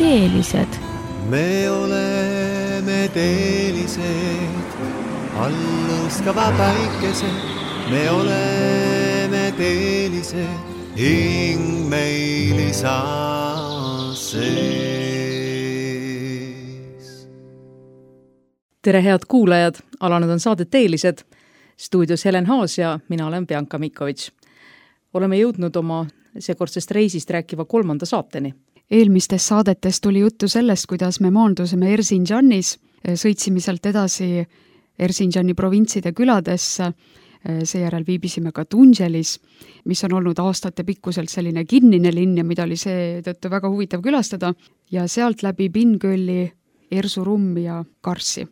teelised. Me oleme teelised, allõskava päikesed. Me oleme teelised, hing meil isa sees. Tere head kuulajad, alanud on saade Teelised. Stuudios Helen Haas ja mina olen Bianca Mikovits. Oleme jõudnud oma seekordsest reisist rääkiva 3. saateni. Eelmistes saadetes tuli juttu sellest, kuidas me maandusime Erzincanis, sõitsime sealt edasi Erzincani provintside küladesse, seejärel viibisime ka Tungelis, mis on olnud aastate pikkuselt selline kinnine linn ja mida oli seetõttu väga huvitav külastada, ja sealt läbi Bingölli, Erzurumi ja Karsi.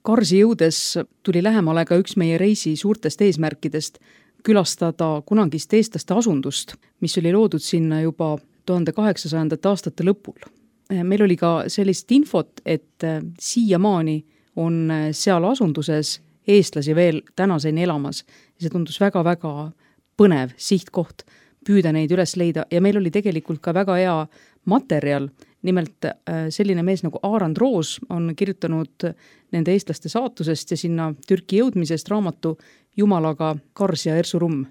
Karsi jõudes tuli lähemale ka üks meie reisi suurtest eesmärkidest külastada kunagist eestlaste asundust, mis oli loodud sinna juba 1800. aastate lõpul. Meil oli ka sellist infot, et siiamaani on seal asunduses eestlasi veel tänaseni elamas. See tundus väga-väga põnev sihtkoht püüda neid üles leida ja meil oli tegelikult ka väga hea materjal. Nimelt selline mees nagu Aarand Roos on kirjutanud nende eestlaste saatusest ja sinna Türki jõudmisest raamatu Jumalaga Kars ja Erzurum.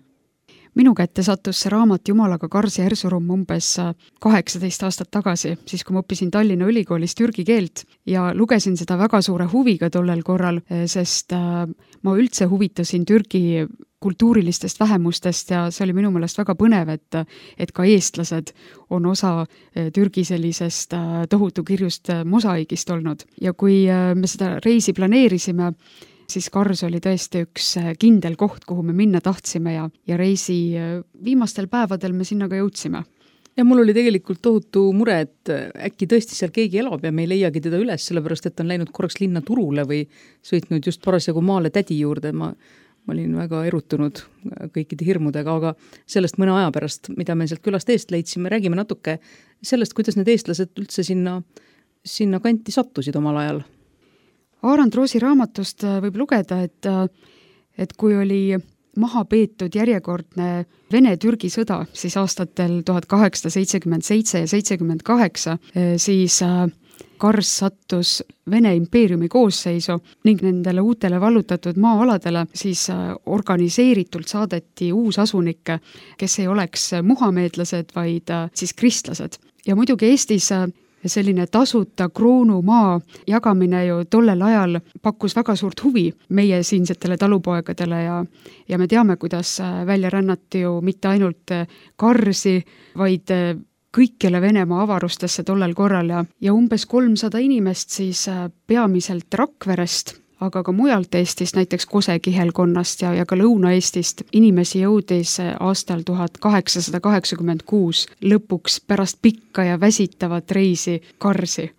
Minu kätte sattus see raamat Jumalaga Kars ja Erzurum umbes 18 aastat tagasi, siis kui ma õppisin Tallinna Ülikoolis türgi keelt ja lugesin seda väga suure huviga tollel korral, sest ma üldse huvitasin Türgi kultuurilistest vähemustest ja see oli minu meelest väga põnev, et ka eestlased on osa Türgi sellisest tohutu kirjust mosaiigist olnud. Ja kui me seda reisi planeerisime, siis Kars oli tõesti üks kindel koht, kuhu me minna tahtsime ja reisi viimastel päevadel me sinna ka jõudsime. Ja mul oli tegelikult tohutu mure, et äkki tõesti seal keegi elab ja me ei leiagi teda üles, sellepärast et on läinud korraks linna turule või sõitnud just parasjagu maale tädi juurde. Ma olin väga erutunud kõikide hirmudega, aga sellest mõne aja pärast, mida me sealt külast eest leidsime, räägime natuke sellest, kuidas need eestlased üldse sinna kanti sattusid omal ajal. Aarand Roosi raamatust võib lugeda, et kui oli maha peetud järjekordne Vene-Türgi sõda, siis aastatel 1877 ja 78, siis Kars sattus Vene impeeriumi koosseisu ning nendele uutele vallutatud maa-aladele siis organiseeritult saadeti uusasunikke, kes ei oleks muhameedlased, vaid siis kristlased. Ja muidugi Eestis selline tasuta kroonumaa jagamine ju tollel ajal pakkus väga suurt huvi meie siinsetele talupoegadele ja me teame, kuidas välja rännati ju mitte ainult Karsi, vaid kõikjale Venemaa avarustesse tollel korral ja umbes 300 inimest siis peamiselt Rakverest, aga ka mujalt Eestist, näiteks Kose kihelkonnast ja ka Lõuna-Eestist inimesi jõudis aastal 1886 lõpuks pärast pikka ja väsitavat reisi Karsi.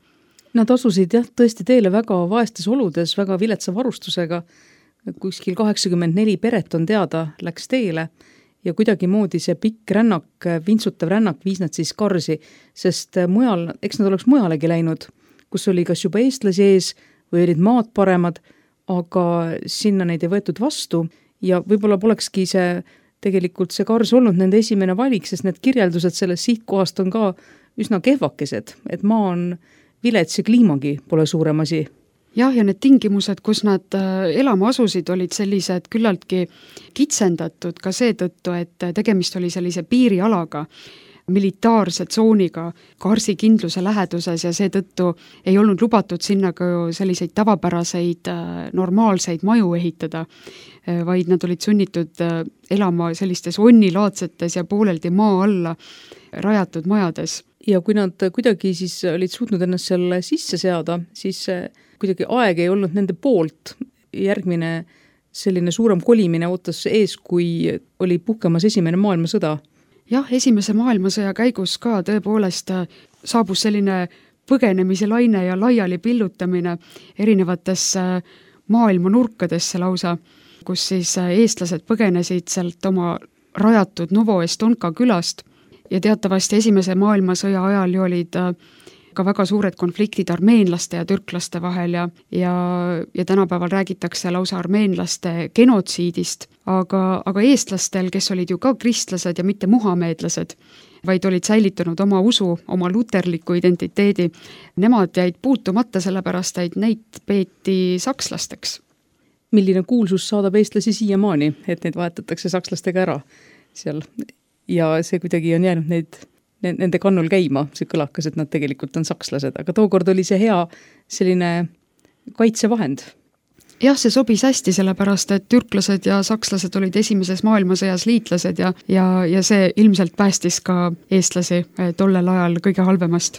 Nad asusid tõesti teele väga vaestes oludes, väga viletsa varustusega. Kuskil 84 peret on teada, läks teele ja kuidagi moodi see pikk rännak, vintsutav rännak viis nad siis Karsi, sest mujal, eks nad oleks mujalegi läinud, kus oli kas juba eestlasi ees või olid maad paremad, aga sinna neid ei võetud vastu ja võib-olla polekski tegelikult see Kars olnud nende esimene valik, sest need kirjeldused sellest sihtkohast on ka üsna kehvakesed, et maa on vilets ja kliimagi pole suurem asi. Jah, ja need tingimused, kus nad elama asusid, olid sellised küllaltki kitsendatud ka seetõttu, et tegemist oli sellise piirialaga, militaarse tsooniga Karsi kindluse läheduses ja seetõttu ei olnud lubatud sinna ka selliseid tavapäraseid normaalseid maju ehitada, vaid nad olid sunnitud elama sellistes onnilaadsetes ja pooleldi maa alla rajatud majades. Ja kui nad kuidagi siis olid suutnud ennast seal sisse seada, siis kuidagi aeg ei olnud nende poolt. Järgmine selline suurem kolimine ootas ees, kui oli puhkemas esimene maailmasõda. Jah, esimese maailmasõja käigus ka tõepoolest saabus selline põgenemise laine ja laiali pillutamine erinevatesse maailma nurkadesse lausa, kus siis eestlased põgenesid sealt oma rajatud Novo Estonka külast ja teatavasti esimese maailmasõja ajal ju olid ka väga suured konfliktid armeenlaste ja türklaste vahel ja tänapäeval räägitakse lausa armeenlaste genotsiidist, aga eestlastel, kes olid ju ka kristlased ja mitte muhameedlased, vaid olid säilitanud oma usu, oma luterliku identiteedi, nemad jäid puutumata, sellepärast et neid peeti sakslasteks. Milline kuulsus saadab eestlasi siiamaani, et neid vahetatakse sakslastega ära seal ja see kuidagi on jäänud nende kannul käima, see kõlakas, et nad tegelikult on sakslased, aga tookord oli see hea selline kaitsevahend. Jah, see sobis hästi, sellepärast, et türklased ja sakslased olid esimeses maailmasõjas liitlased ja see ilmselt päästis ka eestlasi tollel ajal kõige halvemast.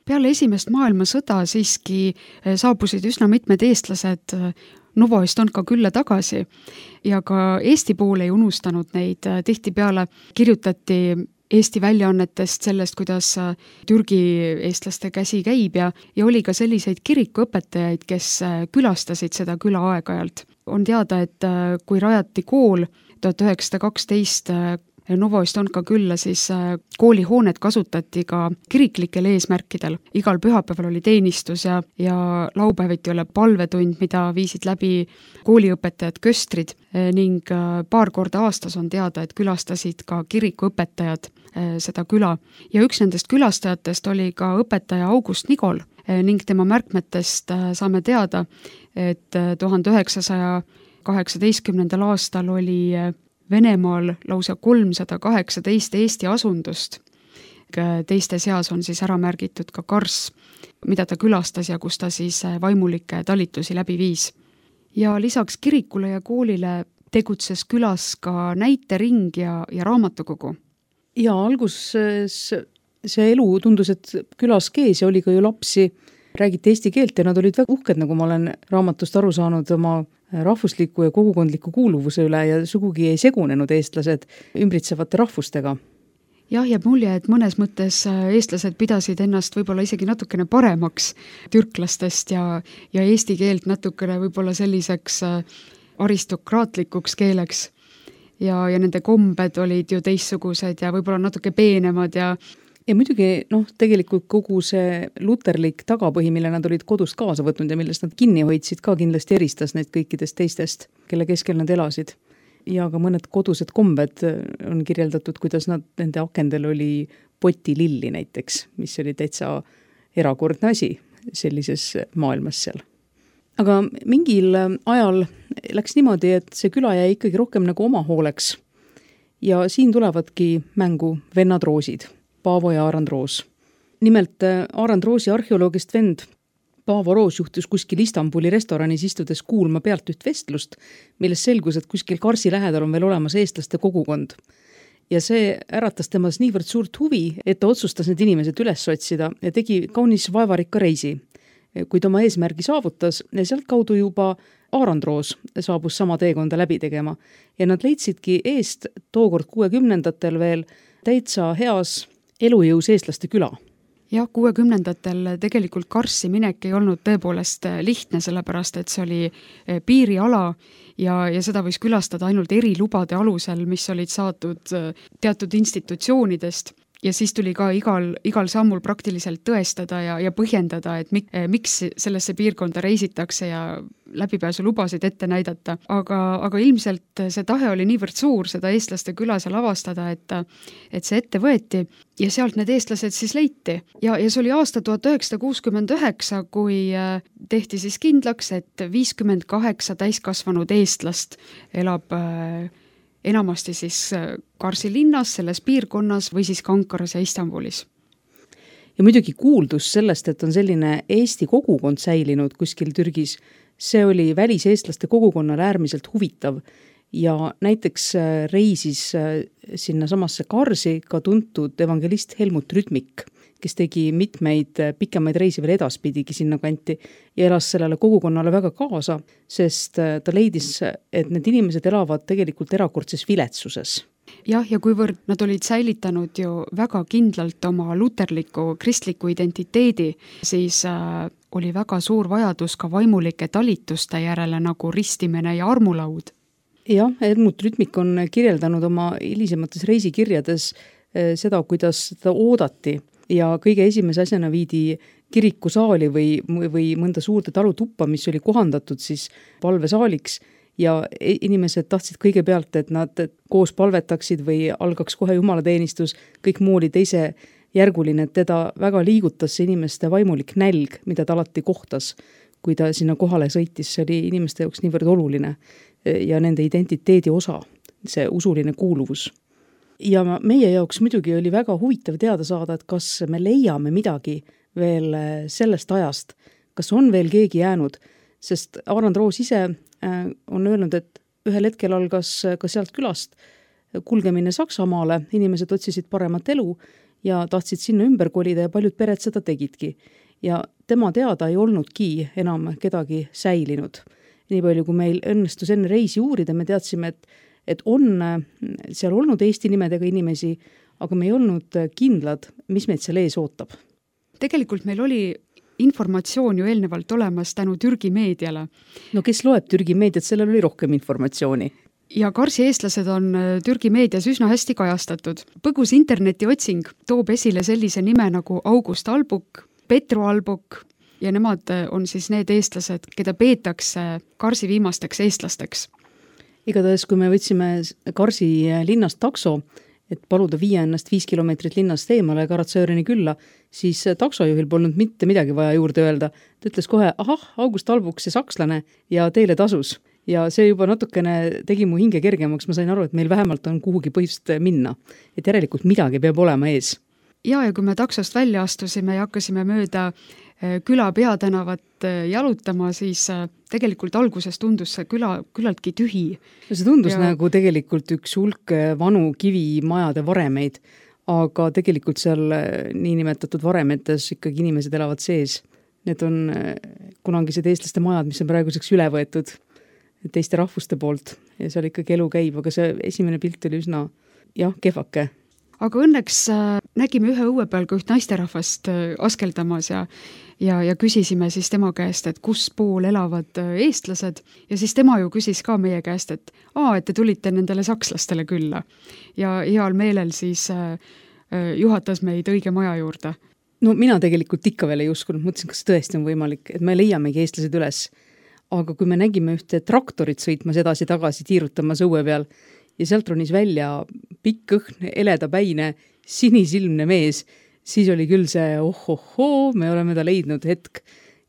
Peale esimest maailmasõda siiski saabusid üsna mitmed eestlased Novoestonka külla tagasi ja ka Eesti pool ei unustanud neid. Tihtipeale kirjutati Eesti väljaannetest sellest, kuidas Türgi eestlaste käsi käib ja oli ka selliseid kirikuõpetajaid, kes külastasid seda küla aeg-ajalt. On teada, et kui rajati kool 1912 Novoestonka külla, siis koolihoonet kasutati ka kiriklikel eesmärkidel. Igal pühapäeval oli teenistus ja laupäeviti oli palvetund, mida viisid läbi kooliõpetajad köstrid ning paar korda aastas on teada, et külastasid ka kirikuõpetajad seda küla. Ja üks nendest külastajatest oli ka õpetaja August Nigol ning tema märkmetest saame teada, et 1918. aastal oli Venemaal lausa 318 Eesti asundust. Teiste seas on siis ära märgitud ka Kars, mida ta külastas ja kus ta siis vaimulikke talitusi läbi viis. Ja lisaks kirikule ja koolile tegutses külas ka näitering ja raamatukogu. Ja alguses see elu tundus, et külas kees ja oli ka ju lapsi, räägiti eesti keelt ja nad olid väga uhked, nagu ma olen raamatust aru saanud, oma rahvusliku ja kogukondliku kuuluvuse üle ja sugugi ei segunenud eestlased ümbritsevate rahvustega. Jah, jääb mulje, et mõnes mõttes eestlased pidasid ennast võib-olla isegi natukene paremaks türklastest ja eesti keelt natukene võib-olla selliseks aristokraatlikuks keeleks. Ja nende kombed olid ju teistsugused ja võib-olla natuke peenemad ja muidugi, tegelikult kogu see luterlik tagapõhi, mille nad olid kodust kaasa võtnud ja millest nad kinni hoidsid, ka kindlasti eristas neid kõikidest teistest, kelle keskel nad elasid. Ja ka mõned kodused kombed on kirjeldatud, kuidas nende akendel oli potililli näiteks, mis oli täitsa erakordne asi sellises maailmas seal. Aga mingil ajal läks niimoodi, et see küla jäi ikkagi rohkem nagu oma hooleks. Ja siin tulevadki mängu vennad Roosid. Paavo ja Aarand Roos. Nimelt Aarand Roosi arheoloogist vend Paavo Roos juhtus kuskil Istanbuli restoranis istudes kuulma pealt üht vestlust, milles selgus, et kuskil Karsi lähedal on veel olemas eestlaste kogukond. Ja see äratas temas niivõrd suurt huvi, et ta otsustas need inimesed üles otsida ja tegi kaunis vaevarikka reisi. Kuid oma eesmärgi saavutas ja sealt kaudu juba Aarandroos saabus sama teekonda läbi tegema ja nad leidsidki eest tookord 60-ndatel veel täitsa heas elujõus eestlaste küla. Jah, 60-ndatel tegelikult Karssi minek ei olnud tõepoolest lihtne, sellepärast et see oli piiriala ja seda võis külastada ainult erilubade alusel, mis olid saadud teatud institutsioonidest. Ja siis tuli ka igal sammul praktiliselt tõestada ja põhjendada, et miks sellesse piirkonda reisitakse ja läbipääsulubasid ette näidata. Aga ilmselt see tahe oli niivõrd suur seda eestlaste küla seal avastada, et see ette võeti ja sealt need eestlased siis leiti. Ja see oli aasta 1969, kui tehti siis kindlaks, et 58 täiskasvanud eestlast elab enamasti siis Karsi linnas, selles piirkonnas või siis Kankaras ja Istanbulis. Ja muidugi kuuldus sellest, et on selline Eesti kogukond säilinud kuskil Türgis, see oli väliseestlaste kogukonnale äärmiselt huvitav ja näiteks reisis sinna samasse Karsi ka tuntud evangelist Helmut Rütmik, kes tegi mitmeid pikemaid reisi veel edaspidigi sinna kanti ja elas sellele kogukonnale väga kaasa, sest ta leidis, et need inimesed elavad tegelikult erakordses viletsuses. Jah, ja kuivõrd nad olid säilitanud ju väga kindlalt oma luterliku kristliku identiteedi, siis oli väga suur vajadus ka vaimulike talituste järele nagu ristimine ja armulaud. Jah, Helmut Rütmik on kirjeldanud oma hilisemates reisikirjades seda, kuidas seda oodati ja kõige esimese asjana viidi kirikusaali või mõnda suurde talutuppa, mis oli kohandatud siis palvesaaliks ja inimesed tahtsid kõigepealt, et nad koos palvetaksid või algaks kohe jumalateenistus, kõik muu oli teise järguline, et teda väga liigutas see inimeste vaimulik nälg, mida ta alati kohtas, kui ta sinna kohale sõitis, see oli inimeste jaoks niivõrd oluline ja nende identiteedi osa, see usuline kuuluvus. Ja meie jaoks muidugi oli väga huvitav teada saada, et kas me leiame midagi veel sellest ajast, kas on veel keegi jäänud, sest Aarandroos ise on öelnud, et ühel hetkel algas ka sealt külast kulgemine Saksamaale, inimesed otsisid paremat elu ja tahtsid sinna ümber kolida ja paljud pered seda tegidki. Ja tema teada ei olnudki enam kedagi säilinud. Nii palju, kui meil õnnestus enne reisi uurida, me teadsime, et on seal olnud Eesti nimedega inimesi, aga me ei olnud kindlad, mis meid seal ees ootab. Tegelikult meil oli informatsioon ju eelnevalt olemas tänu Türgi meediale. No kes loeb Türgi meediat, sellel oli rohkem informatsiooni. Ja Karsi eestlased on Türgi meedias üsna hästi kajastatud. Põgus internetiotsing toob esile sellise nime nagu August Albuk, Petru Albuk ja nemad on siis need eestlased, keda peetakse Karsi viimasteks eestlasteks. Igatahes, kui me võtsime Karsi linnast takso, et paluda viia ennast 5 kilomeetrit linnast eemale Karatsöörini külla, siis taksojuhil polnud mitte midagi vaja juurde öelda. Ta ütles kohe, August Albuk, see sakslane ja teile tasus. Ja see juba natukene tegi mu hinge kergemaks, ma sain aru, et meil vähemalt on kuhugi põhjust minna. Et järelikult midagi peab olema ees. Ja kui me taksost välja astusime ja hakkasime mööda küla peatänavat jalutama, siis tegelikult alguses tundus see küllaltki tühi. See tundus nagu tegelikult üks hulk vanu kivimajade varemeid, aga tegelikult seal niinimetatud varemetes ikkagi inimesed elavad sees. Need on kunagised eestlaste majad, mis on praeguseks üle võetud teiste rahvuste poolt ja seal ikkagi elu käib, aga see esimene pilt oli üsna kehvake. Aga õnneks nägime ühe õue peal ka üht naisterahvast askeldamas ja küsisime siis tema käest, et kus pool elavad eestlased ja siis tema ju küsis ka meie käest, et te tulite nendele sakslastele külla ja heal meelel siis juhatas meid õige maja juurde. No mina tegelikult ikka veel ei uskunud, mõtlesin, kas tõesti on võimalik, et me leiamegi eestlased üles. Aga kui me nägime ühte traktorit sõitmas edasi-tagasi tiirutamas õue peal ja sealt ronis välja pikk õhn, eledapäine, sinisilmne mees, siis oli küll see me oleme ta leidnud hetk.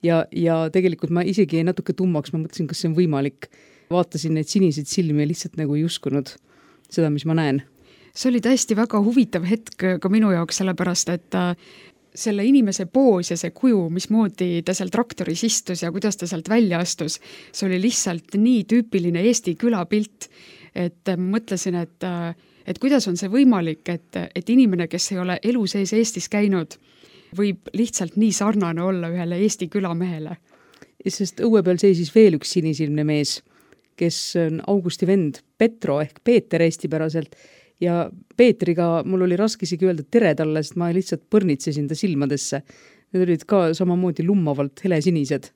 Ja tegelikult ma isegi natuke tummaks, ma mõtlesin, kas see on võimalik. Vaatasin neid siniseid silmi ja lihtsalt nagu ei uskunud seda, mis ma näen. See oli täiesti väga huvitav hetk ka minu jaoks, sellepärast, et selle inimese poos ja see kuju, mismoodi ta seal traktoris istus ja kuidas ta sealt välja astus, see oli lihtsalt nii tüüpiline Eesti külapilt, et mõtlesin, et kuidas on see võimalik, et inimene, kes ei ole elu sees Eestis käinud, võib lihtsalt nii sarnane olla ühele Eesti külamehele. sest õue peal seisis veel üks sinisilmne mees, kes on Augusti vend Petro ehk Peeter eestipäraselt ja Peetriga mul oli raske isegi öelda tere talle, sest ma lihtsalt põrnitsesin ta silmadesse. Need olid ka samamoodi lummavalt helesinised.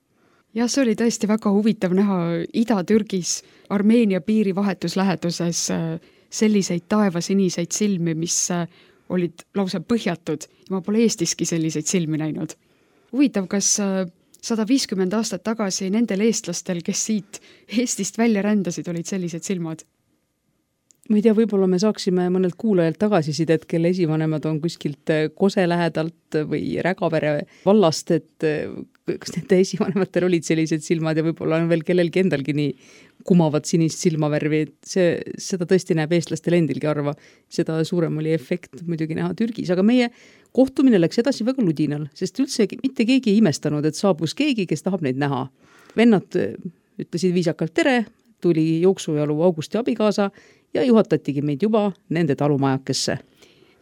jah, see oli tõesti väga huvitav näha Ida-Türgis Armeenia piiri vahetusläheduses selliseid taevasiniseid silmi, mis olid lausa põhjatud ja ma pole Eestiski selliseid silmi näinud. Huvitav, kas 150 aastat tagasi nendel eestlastel, kes siit Eestist välja rändasid, olid sellised silmad? Ma ei tea, võib-olla me saaksime mõnelt kuulajalt tagasisidet, kelle esivanemad on kuskilt Kose lähedalt või Rägavere vallast, et kas nende esivanematel olid sellised silmad ja võib-olla on veel kellelgi endalgi nii kumavad sinist silmavärvi, et seda tõesti näeb eestlastel endilgi arva. Seda suurem oli efekt muidugi näha Türgis, aga meie kohtumine läks edasi väga ludinal, sest üldse mitte keegi ei imestanud, et saabus keegi, kes tahab neid näha. Vennad ütlesid viisakalt tere, tuli jooksujalu Augusti abikaasa ja juhatatigi meid juba nende talumajakesse.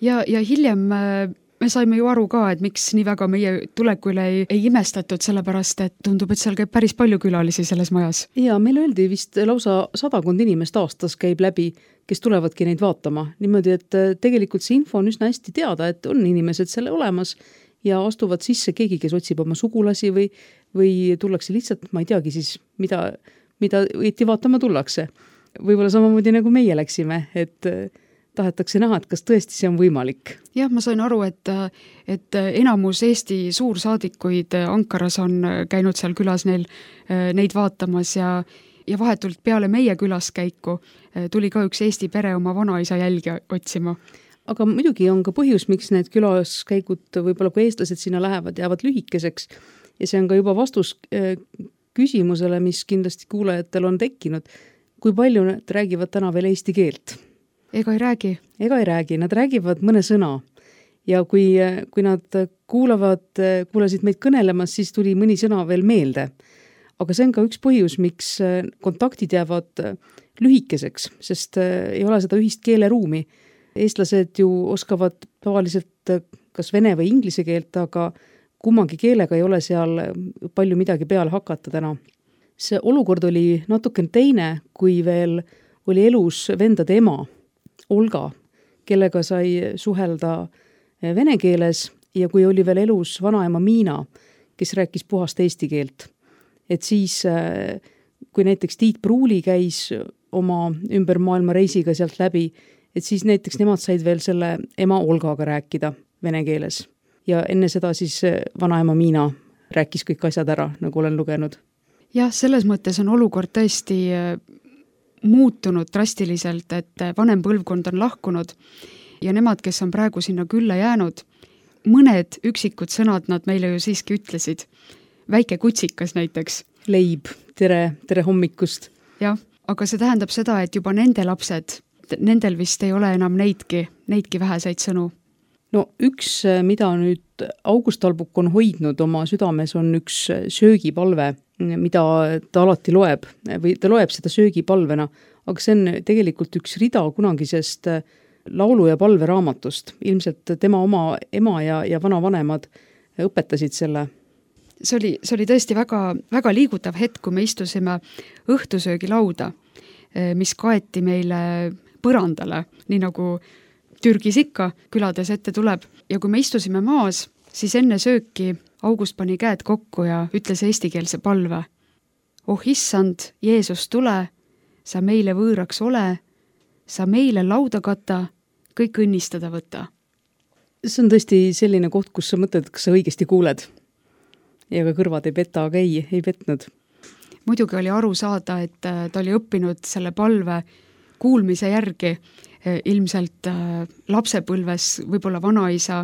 Ja hiljem me saime ju aru ka, et miks nii väga meie tulekule ei imestatud, sellepärast, et tundub, et seal käib päris palju külalisi selles majas. Ja meil öeldi vist lausa 100 inimest aastas käib läbi, kes tulevadki neid vaatama. Niimoodi, et tegelikult see info on üsna hästi teada, et on inimesed selle olemas ja astuvad sisse keegi, kes otsib oma sugulasi või tullakse lihtsalt, ma ei teagi siis, mida õieti vaatama tullakse. Võib-olla samamoodi nagu meie läksime, et tahetakse näha, et kas tõesti see on võimalik. Jah, ma sain aru, et enamus Eesti suursaadikuid Ankaras on käinud seal külas neid vaatamas ja vahetult peale meie külaskäiku tuli ka üks Eesti pere oma vanaisa jälgi otsima. Aga muidugi on ka põhjus, miks need külaskäigud võib-olla kui eestlased sinna lähevad, jäävad lühikeseks ja see on ka juba vastus küsimusele, mis kindlasti kuulajatel on tekkinud. Kui palju nad räägivad täna veel eesti keelt? Ega ei räägi? Ega ei räägi, nad räägivad mõne sõna. Ja kui nad kuulasid meid kõnelemas, siis tuli mõni sõna veel meelde. Aga see on ka üks põhjus, miks kontaktid jäävad lühikeseks, sest ei ole seda ühist keeleruumi. Eestlased ju oskavad tavaliselt kas vene või inglise keelt, aga kummangi keelega ei ole seal palju midagi peale hakata täna. See olukord oli natuke teine, kui veel oli elus vendade ema, Olga, kellega sai suhelda vene keeles ja kui oli veel elus vanaema Miina, kes rääkis puhast eesti keelt. Et siis, kui näiteks Tiit Pruuli käis oma ümber maailma reisiga sealt läbi, et siis näiteks nemad said veel selle ema Olgaga rääkida vene keeles. Ja enne seda siis vanaema Miina rääkis kõik asjad ära, nagu olen lugenud. Jah, selles mõttes on olukord tõesti muutunud drastiliselt, et vanem põlvkond on lahkunud ja nemad, kes on praegu sinna külla jäänud, mõned üksikud sõnad nad meile ju siiski ütlesid. Väike kutsikas näiteks. Leib, tere hommikust. Jah, aga see tähendab seda, et juba nende lapsed, nendel vist ei ole enam neidki väheseid sõnu. No üks, mida nüüd August Talbuk on hoidnud oma südames, on üks söögipalve, mida ta alati loeb või ta loeb seda söögipalvena, aga see on tegelikult üks rida kunagisest laulu- ja palveraamatust. Ilmselt tema oma ema ja vanavanemad õpetasid selle. See oli tõesti väga, väga liigutav hetk, kui me istusime õhtusöögilauda, mis kaeti meile põrandale, nii nagu Türgis ikka külades ette tuleb. Ja kui me istusime maas, siis enne sööki August pani käed kokku ja ütles eestikeelse palve. Oh issand, Jeesus tule, sa meile võõraks ole, sa meile lauda kata, kõik õnnistada võta. See on tõesti selline koht, kus sa mõtled, kas sa õigesti kuuled. Ja ka kõrvad ei peta, aga ei petnud. Muidugi oli aru saada, et ta oli õppinud selle palve kuulmise järgi. Ilmselt lapsepõlves võib-olla vanaisa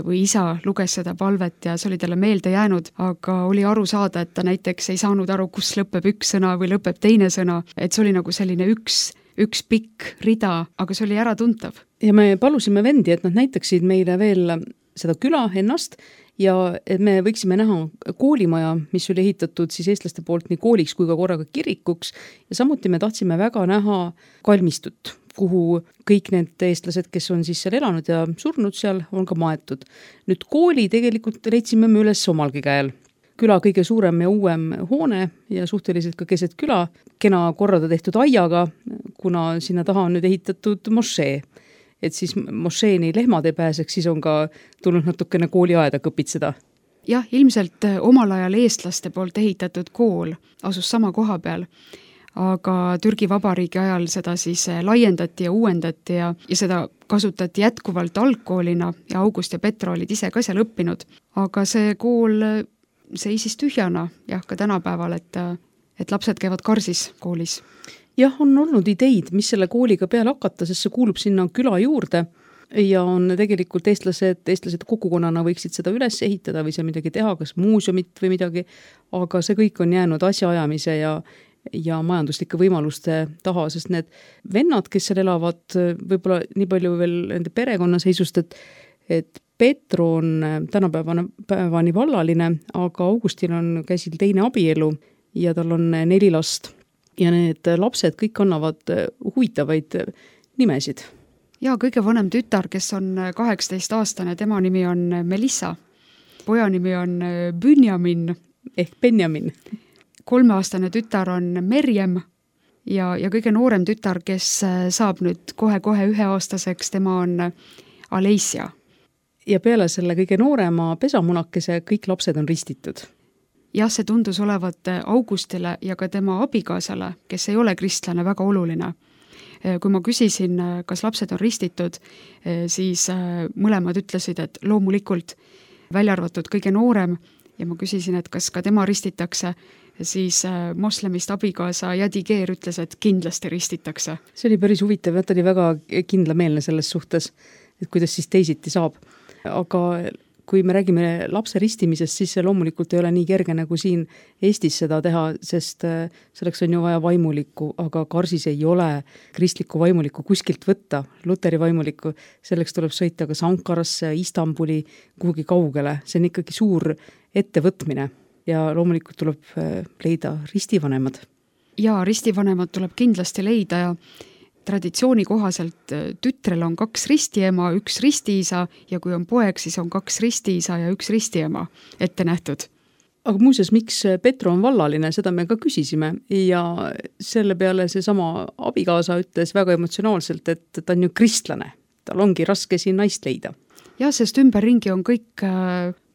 või isa luges seda palvet ja see oli talle meelde jäänud, aga oli aru saada, et ta näiteks ei saanud aru, kus lõpeb üks sõna või lõpeb teine sõna, et see oli nagu selline üks pikk rida, aga see oli äratuntav. Ja me palusime vendi, et nad näitaksid meile veel seda küla ennast ja et me võiksime näha koolimaja, mis oli ehitatud siis eestlaste poolt nii kooliks kui ka korraga kirikuks ja samuti me tahtsime väga näha kalmistut, kuhu kõik need eestlased, kes on siis seal elanud ja surnud seal, on ka maetud. Nüüd kooli tegelikult leidsime me üles omalgi käel. küla kõige suurem ja uuem hoone ja suhteliselt ka keset küla, kena korrada tehtud aiaga, kuna sinna taha on nüüd ehitatud mošee. Et siis mošeeni lehmad ei pääseks, siis on ka tulnud natukene kooliaeda kõpitseda. Jah, ilmselt omal ajal eestlaste poolt ehitatud kool asus sama koha peal, aga Türgi Vabariigi ajal seda siis laiendati ja uuendati ja seda kasutati jätkuvalt algkoolina ja August ja Petro olid ise ka seal õppinud. Aga see kool seisis tühjana, jah, ka tänapäeval, et lapsed käivad karsis koolis. Jah, on olnud ideid, mis selle kooliga peale hakata, sest see kuulub sinna küla juurde ja on tegelikult eestlased kogukonnana võiksid seda üles ehitada või see midagi teha, kas muuseumit või midagi, aga see kõik on jäänud asjaajamise ja majanduslike võimaluste taha, sest need vennad, kes seal elavad, võib-olla nii palju veel nende perekonnaseisust, et Petro on tänapäevani vallaline, aga Augustil on käsil teine abielu ja tal on 4 last. Ja need lapsed kõik annavad huvitavaid nimesid. Ja kõige vanem tütar, kes on 18-aastane, tema nimi on Melissa. Poja nimi on Benjamin. Ehk Benjamin. 3-aastane tütar on Merjem ja kõige noorem tütar, kes saab nüüd kohe 1-aastaseks, tema on Aleisia. Ja peale selle kõige noorema pesamunakese kõik lapsed on ristitud. Jah, see tundus olevat Augustile ja ka tema abikaasale, kes ei ole kristlane, väga oluline. Kui ma küsisin, kas lapsed on ristitud, siis mõlemad ütlesid, et loomulikult välja arvatud kõige noorem ja ma küsisin, et kas ka tema ristitakse, siis moslemist abikaasa Yadiger ütles, et kindlasti ristitakse. See oli päris huvitav, ta oli väga kindlameelne selles suhtes, et kuidas siis teisiti saab. Aga kui me räägime lapse ristimisest, siis see loomulikult ei ole nii kerge nagu siin Eestis seda teha, sest selleks on ju vaja vaimulikku, aga Karsis ei ole kristlikku vaimulikku kuskilt võtta, luteri vaimulikku. Selleks tuleb sõita kas Ankarasse, Istanbuli, kuhugi kaugele. See on ikkagi suur ettevõtmine ja loomulikult tuleb leida ristivanemad. Ja ristivanemad tuleb kindlasti leida ja traditsiooni kohaselt tütrel on 2 ristiema, 1 ristiisa ja kui on poeg, siis on 2 ristiisa ja 1 ristiema ette nähtud. Aga muuseas, miks Petro on vallaline, seda me ka küsisime ja selle peale see sama abikaasa ütles väga emotsionaalselt, et ta on ju kristlane. Tal ongi raske siin naist leida. Ja, sest ümberringi on kõik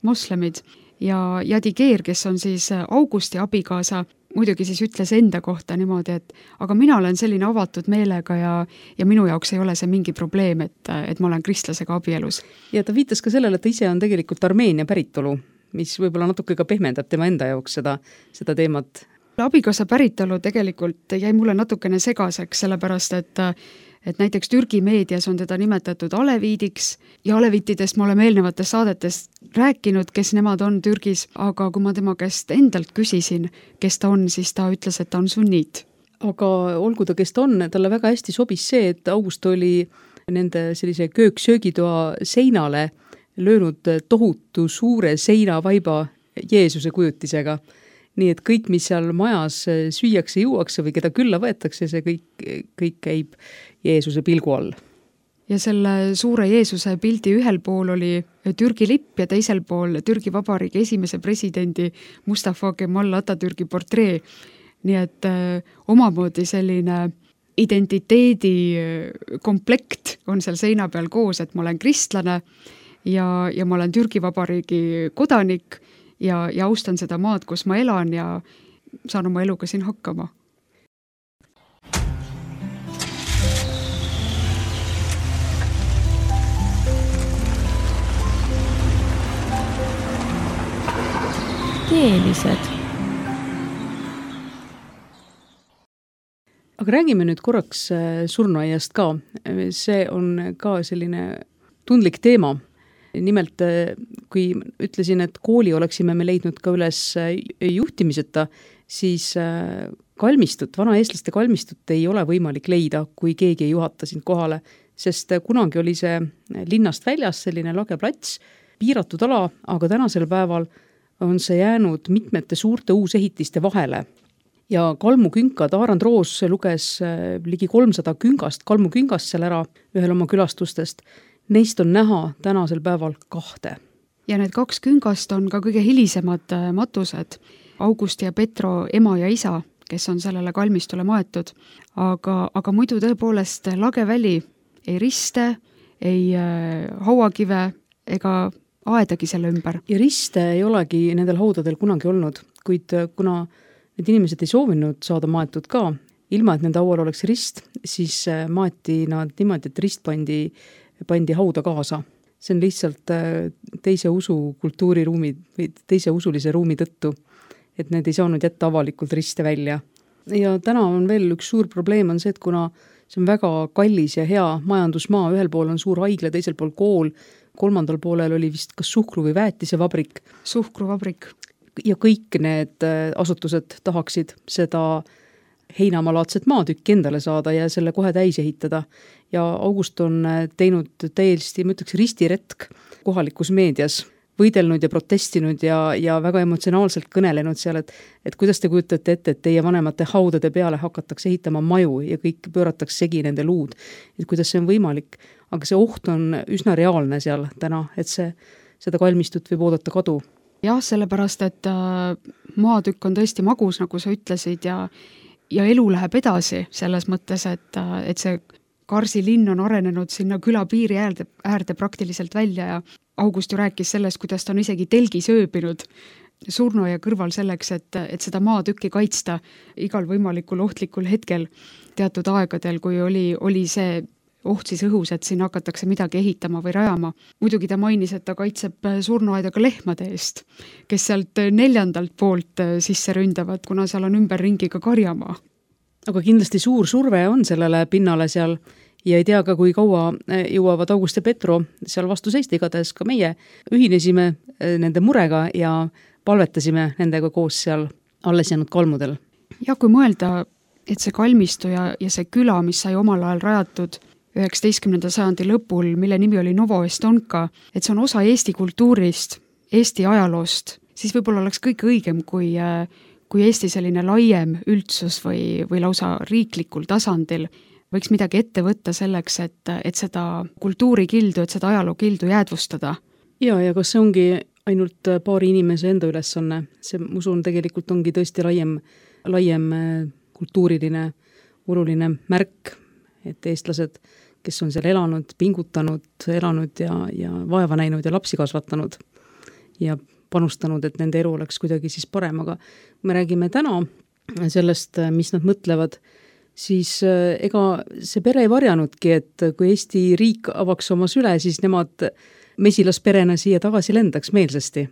moslemid ja Yadiger, kes on siis Augusti abikaasa, muidugi siis ütles enda kohta niimoodi, et aga mina olen selline avatud meelega ja minu jaoks ei ole see mingi probleem, et ma olen kristlasega abielus. Ja ta viitas ka sellele, et ta ise on tegelikult Armeenia päritolu, mis võib-olla natuke ka pehmendab tema enda jaoks seda teemat. Abikaasa päritolu tegelikult jäi mulle natukene segaseks, sellepärast et näiteks Türgi meedias on teda nimetatud aleviidiks ja aleviitidest me oleme eelnevates saadetes rääkinud, kes nemad on Türgis, aga kui ma tema käest endalt küsisin, kes ta on, siis ta ütles, et ta on sunniit. Aga olgu ta, kes ta on, talle väga hästi sobis see, et August oli nende sellise köök-söögitoa seinale löönud tohutu suure seinavaiba Jeesuse kujutisega. Nii et kõik, mis seal majas süüakse, juuakse või keda külla võetakse, see kõik käib Jeesuse pilgu all. Ja selle suure Jeesuse pildi ühel pool oli Türgi lipp ja teisel pool Türgi Vabariigi esimese presidendi Mustafa Kemal Atatürki portree. Nii et omamoodi selline identiteedi komplekt on seal seina peal koos, et ma olen kristlane ja ma olen Türgi Vabariigi kodanik ja austan seda maad, kus ma elan ja saan oma eluga siin hakkama. Keelised. Aga räägime nüüd korraks surnuaiast ka. See on ka selline tundlik teema. Nimelt, kui ütlesin, et kooli oleksime me leidnud ka üles juhtimiseta, siis kalmistut, vanaeestlaste kalmistut ei ole võimalik leida, kui keegi ei juhata sind kohale, sest kunagi oli see linnast väljas selline lage plats, piiratud ala, aga tänasel päeval on see jäänud mitmete suurte uusehitiste vahele. Ja kalmukünkad, Aarand Roos luges ligi 300 kalmuküngast seal ära ühel oma külastustest. Neist on näha tänasel päeval 2. ja need 2 küngast on ka kõige hilisemad matused, Augusti ja Petro ema ja isa, kes on sellele kalmistule maetud. Aga muidu tõepoolest lageväli, ei riste, ei hauakive ega aedagi selle ümber. Ja riste ei olegi nendel haudadel kunagi olnud, kuid kuna need inimesed ei soovinud saada maetud ka, ilma et nende haual oleks rist, siis maeti nad niimoodi, et rist pandi hauda kaasa. See on lihtsalt teise usu kultuuriruumi või teise usulise ruumi tõttu, et need ei saanud jätta avalikult riste välja. Ja täna on veel üks suur probleem on see, et kuna see on väga kallis ja hea majandusmaa, ühel pool on suur haigla, teisel pool kool, 3. poolel oli vist kas suhkru- või väetisevabrik. Suhkruvabrik. Ja kõik need asutused tahaksid seda heinamalaadset maatükki endale saada ja selle kohe täis ehitada. Ja August on teinud täiesti, ma ütleks, ristiretk kohalikus meedias, võidelnud ja protestinud ja väga emotsionaalselt kõnelenud seal, et kuidas te kujutate ette, et teie vanemate haudade peale hakatakse ehitama maju ja kõik pööratakse segi nende luud. Et kuidas see on võimalik, aga see oht on üsna reaalne seal täna, et seda kalmistut võib oodata kadu. Jah, sellepärast, et maatükk on tõesti magus, nagu sa ütlesid, ja elu läheb edasi selles mõttes, et see Karsi linn on arenenud sinna küla piiri äärde praktiliselt välja ja August ju rääkis sellest, kuidas ta on isegi telgis ööbinud surnuaia kõrval selleks, et seda maatükki kaitsta igal võimalikul ohtlikul hetkel teatud aegadel, kui oli see oht siis õhus, et siin hakatakse midagi ehitama või rajama. Muidugi ta mainis, et ta kaitseb surnuaedaga lehmade eest, kes sealt 4. poolt sisse ründavad, kuna seal on ümberringi ka karjamaa. Aga kindlasti suur surve on sellele pinnale seal ja ei tea ka, kui kaua jõuavad August ja Petro seal vastu seista, igatahes ka meie ühinesime nende murega ja palvetasime nendega koos seal alles jäänud kalmudel. Ja kui mõelda, et see kalmistu ja see küla, mis sai omal ajal rajatud 19. sajandi lõpul, mille nimi oli Novo Estonka, et see on osa Eesti kultuurist, Eesti ajaloost, siis võib-olla oleks kõik õigem, kui Eesti selline laiem üldsus või lausa riiklikul tasandil võiks midagi ette võtta selleks, et seda kultuurikildu, et seda ajalookildu jäädvustada. Ja kas see ongi ainult paari inimese enda ülesanne? See, ma usun, tegelikult ongi tõesti laiem kultuuriline, oluline märk, et eestlased, kes on seal elanud, pingutanud, elanud ja vaeva näinud ja lapsi kasvatanud ja panustanud, et nende elu oleks kuidagi siis parem, aga me räägime täna sellest, mis nad mõtlevad, siis ega see pere ei varjanudki, et kui Eesti riik avaks oma süle, siis nemad mesilasperena siia tagasi lendaks meelsasti.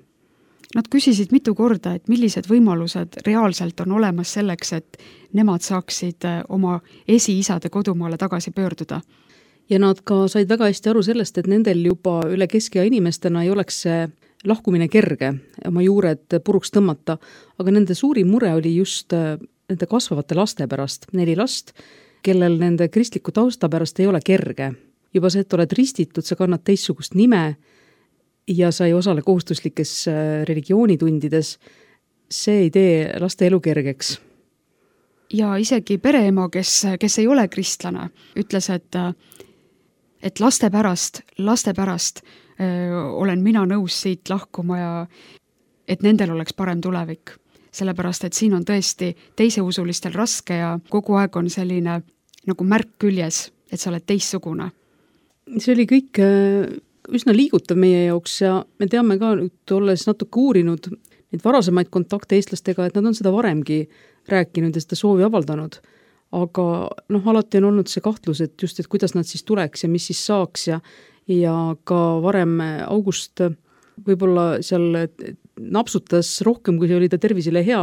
Nad küsisid mitu korda, et millised võimalused reaalselt on olemas selleks, et nemad saaksid oma esiisade kodumaale tagasi pöörduda. Ja nad ka said väga hästi aru sellest, et nendel juba üle keskea inimestena ei oleks see lahkumine kerge, oma juured puruks tõmmata, aga nende suurim mure oli just nende kasvavate laste pärast, 4 last, kellel nende kristliku tausta pärast ei ole kerge. Juba see, et oled ristitud, sa kannad teistsugust nime ja sa ei osale kohustuslikes religioonitundides, see ei tee laste elu kergeks. Ja isegi pereema, kes ei ole kristlane, ütles, et laste pärast olen mina nõus siit lahkuma ja et nendel oleks parem tulevik. Sellepärast, et siin on tõesti teiseusulistel raske ja kogu aeg on selline nagu märk küljes, et sa oled teissugune. See oli kõik üsna liigutav meie jaoks ja me teame ka nüüd, olles natuke uurinud neid varasemaid kontakte eestlastega, et nad on seda varemgi rääkinud ja seda soovi avaldanud. Aga alati on olnud see kahtlus, et just, et kuidas nad siis tuleks ja mis siis saaks ja ka varem August võib-olla seal napsutas rohkem, kui see oli ta tervisele hea,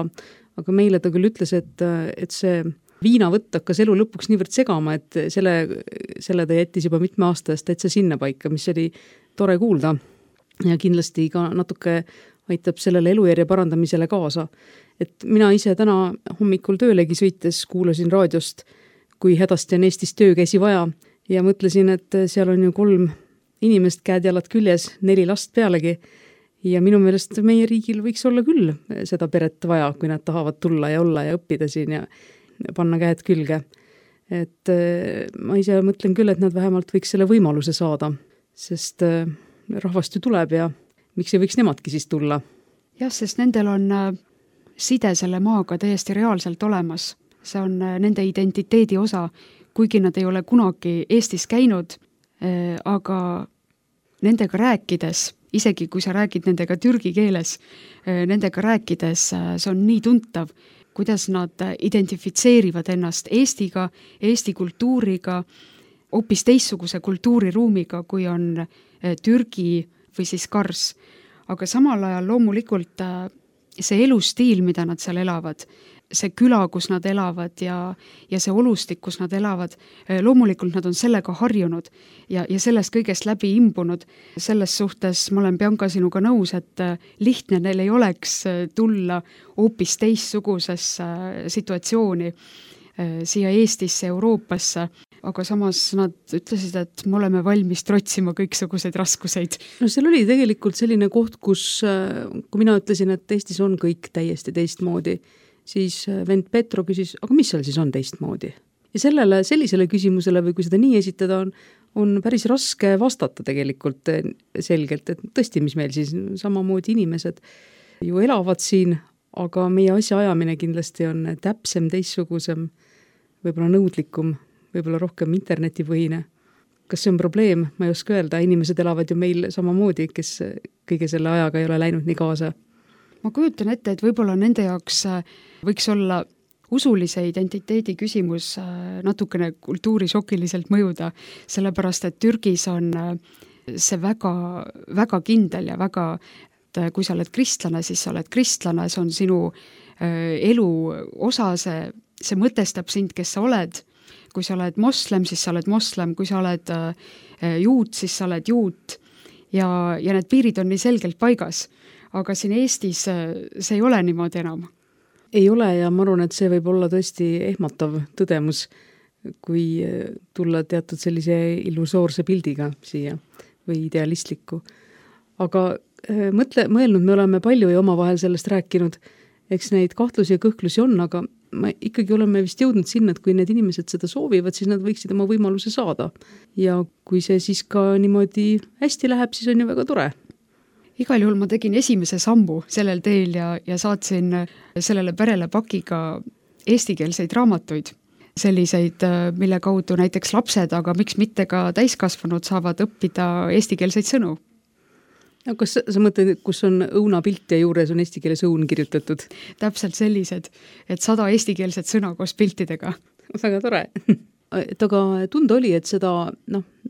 aga meile ta küll ütles, et see viinavõtt hakkas elu lõpuks niivõrd segama, et selle ta jättis juba mitme aasta eest täitsa sinna paika, mis oli tore kuulda ja kindlasti ka natuke aitab sellele elujärje parandamisele kaasa. Et mina ise täna hommikul töölegi sõites kuulasin raadiost, kui hädasti on Eestis töökäsi vaja ja mõtlesin, et seal on ju 3 inimest käed-jalad küljes, 4 last pealegi ja minu meelest meie riigil võiks olla küll seda peret vaja, kui nad tahavad tulla ja olla ja õppida siin ja panna käed külge. Et ma ise mõtlen küll, et nad vähemalt võiks selle võimaluse saada, sest rahvast ju tuleb ja miks ei võiks nemadki siis tulla? jah, sest nendel on side selle maaga täiesti reaalselt olemas. See on nende identiteedi osa, kuigi nad ei ole kunagi Eestis käinud, aga nendega rääkides, isegi kui sa räägid nendega türgi keeles, nendega rääkides see on nii tuntav, kuidas nad identifitseerivad ennast Eestiga, Eesti kultuuriga, hoopis teistsuguse kultuuriruumiga, kui on Türgi või siis Kars. Aga samal ajal loomulikult see elustiil, mida nad seal elavad, see küla, kus nad elavad ja see olustik, kus nad elavad, loomulikult nad on sellega harjunud ja sellest kõigest läbi imbunud. Selles suhtes ma olen, Bianca, sinuga nõus, et lihtne neil ei oleks tulla hoopis teistsugusesse situatsiooni siia Eestisse, Euroopasse, aga samas nad ütlesid, et me oleme valmis trotsima kõiksuguseid raskuseid. No seal oli tegelikult selline koht, kus, kui mina ütlesin, et Eestis on kõik täiesti teistmoodi, siis vend Petro küsis, aga mis seal siis on teistmoodi? Ja sellisele küsimusele või kui seda nii esitada on päris raske vastata tegelikult selgelt, et tõesti, mis meil siis samamoodi inimesed ju elavad siin, aga meie asjaajamine kindlasti on täpsem, teistsugusem, võib-olla nõudlikum, võib-olla rohkem internetipõhine. Kas see on probleem? Ma ei oska öelda, inimesed elavad ju meil samamoodi, kes kõige selle ajaga ei ole läinud nii kaasa. Ma kujutan ette, et võib-olla nende jaoks võiks olla usulise identiteedi küsimus natukene kultuurišokiliselt mõjuda, sellepärast et Türgis on see väga, väga kindel ja väga, kui sa oled kristlane, siis sa oled kristlane, see on sinu elu osa, see mõtestab sind, kes sa oled. Kui sa oled moslem, siis sa oled moslem, kui sa oled juut, siis sa oled juut ja need piirid on nii selgelt paigas. Aga siin Eestis see ei ole niimoodi enam. Ei ole ja ma arvan, et see võib olla tõesti ehmatav tõdemus, kui tulla teatud sellise illusoorse pildiga siia või idealistliku. Aga mõelnud me oleme palju ja omavahel sellest rääkinud, eks neid kahtlusi ja kõhklusi on, aga me ikkagi oleme vist jõudnud sinna, et kui need inimesed seda soovivad, siis nad võiksid oma võimaluse saada. Ja kui see siis ka niimoodi hästi läheb, siis on ju väga tore. Igal juhul ma tegin esimese sammu sellel teel ja saatsin sellele perele pakiga eestikeelseid raamatuid. Selliseid, mille kaudu näiteks lapsed, aga miks mitte ka täiskasvanud saavad õppida eestikeelseid sõnu. Ja kas sa mõtled, kus on õunapilt ja juures on eesti keeles õun kirjutatud? Täpselt sellised, et 100 eestikeelset sõna koos piltidega. Väga tore. Et aga tunda oli, et seda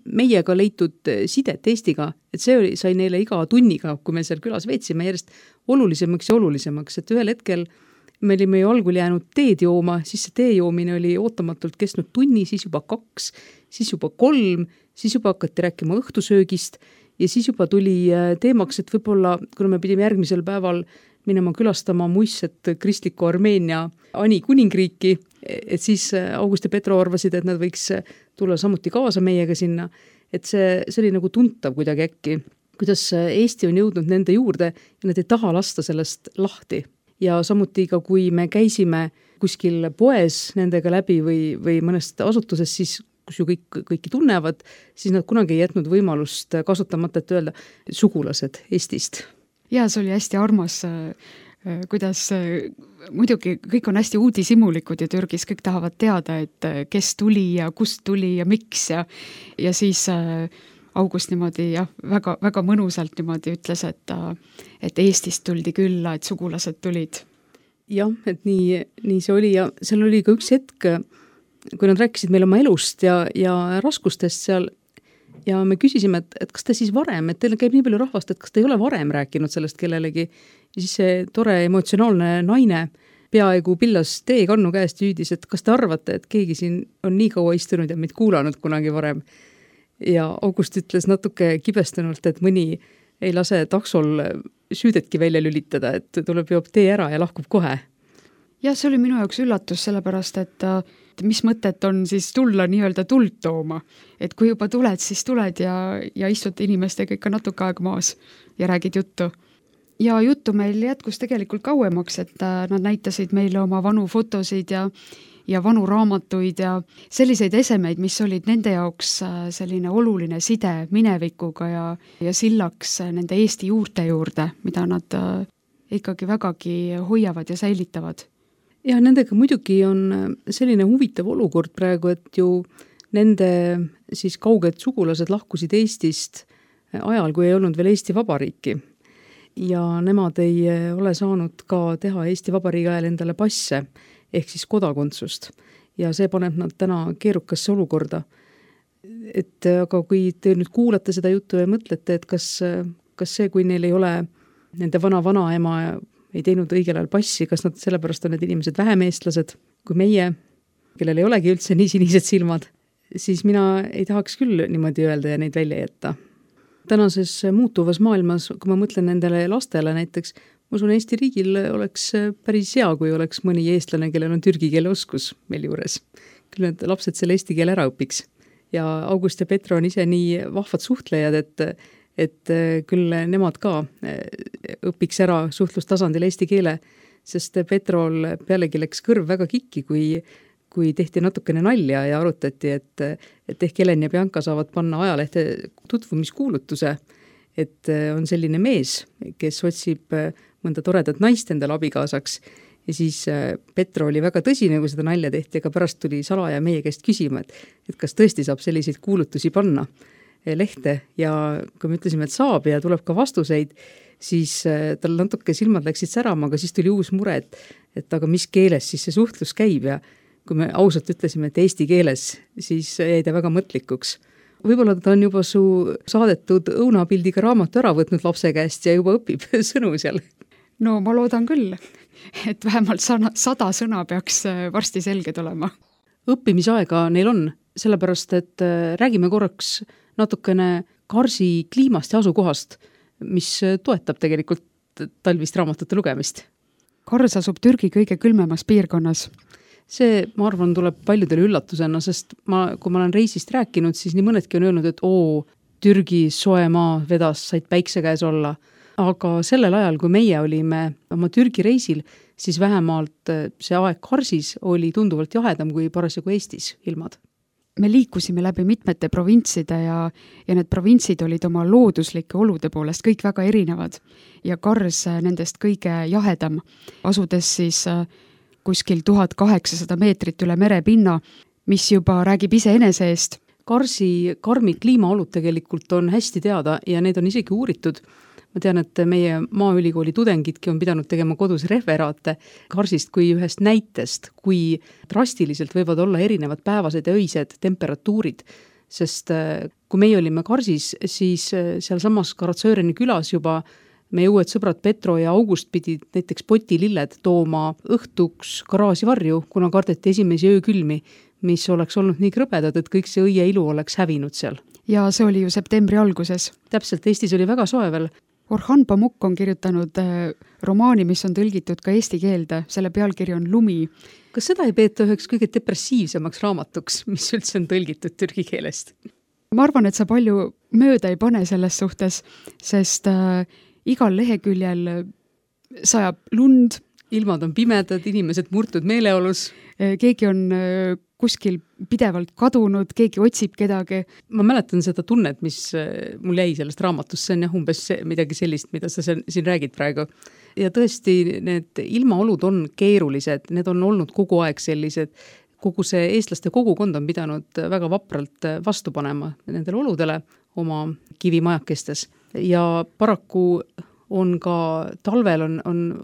meiega leitud sidet Eestiga, et see sai neile iga tunniga, kui me seal külas veetsime järjest olulisemaks ja olulisemaks, et ühel hetkel me olime ju algul jäänud teed jooma, siis see tee joomine oli ootamatult kestnud tunni, siis juba 2, siis juba 3, siis juba hakati rääkima õhtusöögist ja siis juba tuli teemaks, et võib-olla, kuna me pidime järgmisel päeval minema külastama muistset kristliku Armeenia Ani kuningriiki, et siis August ja Petro arvasid, et nad võiks tulla samuti kaasa meiega sinna, et see oli nagu tuntav kuidagi äkki, kuidas Eesti on jõudnud nende juurde ja nad ei taha lasta sellest lahti. Ja samuti ka, kui me käisime kuskil poes nendega läbi või mõnest asutuses, siis kus ju kõiki tunnevad, siis nad kunagi ei jätnud võimalust kasutamata, et öelda sugulased Eestist. Ja see oli hästi armas, kuidas muidugi kõik on hästi uudishimulikud ja Türgis kõik tahavad teada, et kes tuli ja kust tuli ja miks ja siis August niimoodi väga, väga mõnusalt niimoodi ütles, et Eestist tuldi külla, et sugulased tulid. Jah, et nii see oli ja seal oli ka üks hetk, kui nad rääkisid meil oma elust ja raskustest seal ja me küsisime, et kas te siis varem, et teil käib nii palju rahvast, et kas te ei ole varem rääkinud sellest kellelegi ja siis see tore emotsionaalne naine peaaegu pillas teekannu käest hüüdis, et kas te arvate, et keegi siin on nii kaua istunud ja meid kuulanud kunagi varem ja August ütles natuke kibestunult, et mõni ei lase taksol süüdetki välja lülitada, et tuleb joob tee ära ja lahkub kohe. Ja see oli minu jaoks üllatus, sellepärast, et mis mõtet on siis tulla nii-öelda tuld tooma. Et kui juba tuled, siis tuled ja istud inimestega ikka natuke aeg maas ja räägid juttu. Ja juttu meil jätkus tegelikult kauemaks, et nad näitasid meile oma vanu fotosid ja ja vanu raamatuid ja selliseid esemeid, mis olid nende jaoks selline oluline side minevikuga ja sillaks nende Eesti juurte juurde, mida nad ikkagi vägagi hoiavad ja säilitavad. Ja nendega muidugi on selline huvitav olukord praegu, et ju nende siis kauged sugulased lahkusid Eestist ajal, kui ei olnud veel Eesti Vabariiki. Ja nemad ei ole saanud ka teha Eesti Vabariigi ajal endale passe, ehk siis kodakondsust. Ja see paneb nad täna keerukasse olukorda. Et aga kui te nüüd kuulate seda juttu ja mõtlete, et kas see, kui neil ei ole nende vanaema ei teinud õigel ajal passi, kas nad sellepärast on need inimesed vähem eestlased kui meie, kellel ei olegi üldse nii sinised silmad, siis mina ei tahaks küll niimoodi öelda ja neid välja jätta. Tänases muutuvas maailmas, kui ma mõtlen nendele lastele näiteks, ma usun, Eesti riigil oleks päris hea, kui oleks mõni eestlane, kellel on türgi keele oskus meil juures. Küll need lapsed selle eesti keele ära õpiks. Ja August ja Petro on ise nii vahvad suhtlejad, et küll nemad ka õpiks ära suhtlustasandil eesti keele, sest Petrol pealegi läks kõrv väga kikki, kui tehti natukene nalja ja arutati, et ehk Helen ja Bianca saavad panna ajalehte tutvumiskuulutuse, et on selline mees, kes otsib mõnda toredat naist endale abikaasaks ja siis Petro oli väga tõsine, kui seda nalja tehti, aga pärast tuli salaja meie käest küsima, et kas tõesti saab selliseid kuulutusi panna lehte ja kui me ütlesime, et saab ja tuleb ka vastuseid, siis tal natuke silmad läksid särama, aga siis tuli uus mure, et aga mis keeles siis see suhtlus käib ja kui me ausalt ütlesime, et eesti keeles, siis jäi ta väga mõtlikuks. Võib-olla ta on juba su saadetud õunapildiga raamatu ära võtnud lapse käest ja juba õpib sõnu seal. No ma loodan küll, et vähemalt 100 sõna peaks varsti selged olema. Õppimisaega neil on, sellepärast, et räägime korraks natukene Karsi kliimast ja asukohast, mis toetab tegelikult talvist raamatute lugemist. Kars asub Türgi kõige külmemas piirkonnas. See, ma arvan, tuleb paljudele üllatusena, sest kui ma olen reisist rääkinud, siis nii mõnedki on öelnud, et Türgi soe maa vedas, said päikse käes olla. Aga sellel ajal, kui meie olime oma Türgi reisil, siis vähemalt see aeg Karsis oli tunduvalt jahedam kui parasjagu Eestis ilmad. Me liikusime läbi mitmete provintside ja need provintsid olid oma looduslike olude poolest kõik väga erinevad ja Kars nendest kõige jahedam, asudes siis kuskil 1800 meetrit üle merepinna, mis juba räägib iseenese eest. Karsi karmid kliimaolud tegelikult on hästi teada ja need on isegi uuritud. Ma tean, et meie Maaülikooli tudengidki on pidanud tegema kodus referaate Karsist kui ühest näitest, kui drastiliselt võivad olla erinevad päevased ja öised temperatuurid, sest kui meie olime Karsis, siis seal samas Karatsööreni külas juba meie uued sõbrad Petro ja August pidid näiteks potililled tooma õhtuks garaaži varju, kuna kardeti esimesi öökülmi, mis oleks olnud nii krõbedad, et kõik see õie ilu oleks hävinud seal. Ja see oli ju septembri alguses. Täpselt, Eestis oli väga soe veel. Orhan Pamuk on kirjutanud romaani, mis on tõlgitud ka eesti keelde, selle pealkiri on Lumi. Kas seda ei peeta üheks kõige depressiivsemaks raamatuks, mis üldse on tõlgitud türgi keelest? Ma arvan, et sa palju mööda ei pane selles suhtes, sest igal leheküljel sajab lund. Ilmad on pimedad, inimesed murtud meeleolus. Keegi on kuskil pidevalt kadunud, keegi otsib kedagi. Ma mäletan seda tunnet, mis mul jäi sellest raamatust, see on jah umbes midagi sellist, mida sa siin räägid praegu. Ja tõesti, need ilmaolud on keerulised, need on olnud kogu aeg sellised. Kogu see eestlaste kogukond on pidanud väga vapralt vastu panema nendele oludele oma kivimajakestes. Ja paraku on ka talvel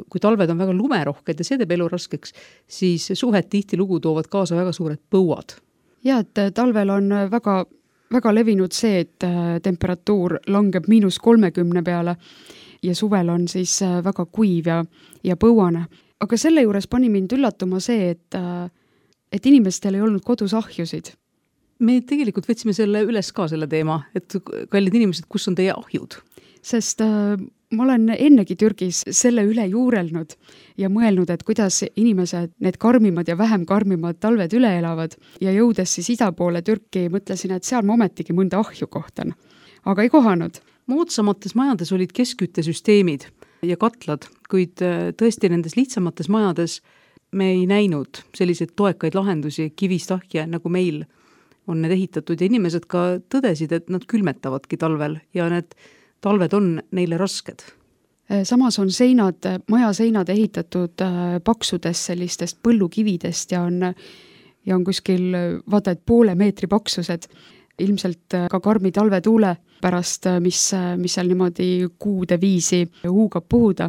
kui talved on väga lumerohked ja see teeb elu raskeks, siis suhed tihtilugu toovad kaasa väga suured põuad. Ja, et talvel on väga, väga levinud see, et temperatuur langeb -30 peale ja suvel on siis väga kuiv ja põuane. Aga selle juures pani mind üllatuma see, et inimestel ei olnud kodus ahjusid. Me tegelikult võtsime selle üles ka selle teema, et kallid inimesed, kus on teie ahjud? Sest ma olen ennegi Türgis selle üle juurelnud ja mõelnud, et kuidas inimesed need karmimad ja vähem karmimad talved üle elavad ja jõudes siis ida poole Türki mõtlesin, et seal ma ometigi mõnda ahju kohtan. Aga ei kohanud. Moodsamates majades olid keskküttesüsteemid ja katlad, kuid tõesti nendes lihtsamates majades me ei näinud selliseid toekaid lahendusi kivist ahje, nagu meil on need ehitatud ja inimesed ka tõdesid, et nad külmetavadki talvel ja need talved on neile rasked. Samas on seinad, majaseinad ehitatud paksudes sellistest põllukividest ja on kuskil vaata, et 0,5 meetri paksused. Ilmselt ka karmi talvetuule pärast, mis seal niimoodi kuude viisi huugab puhuda.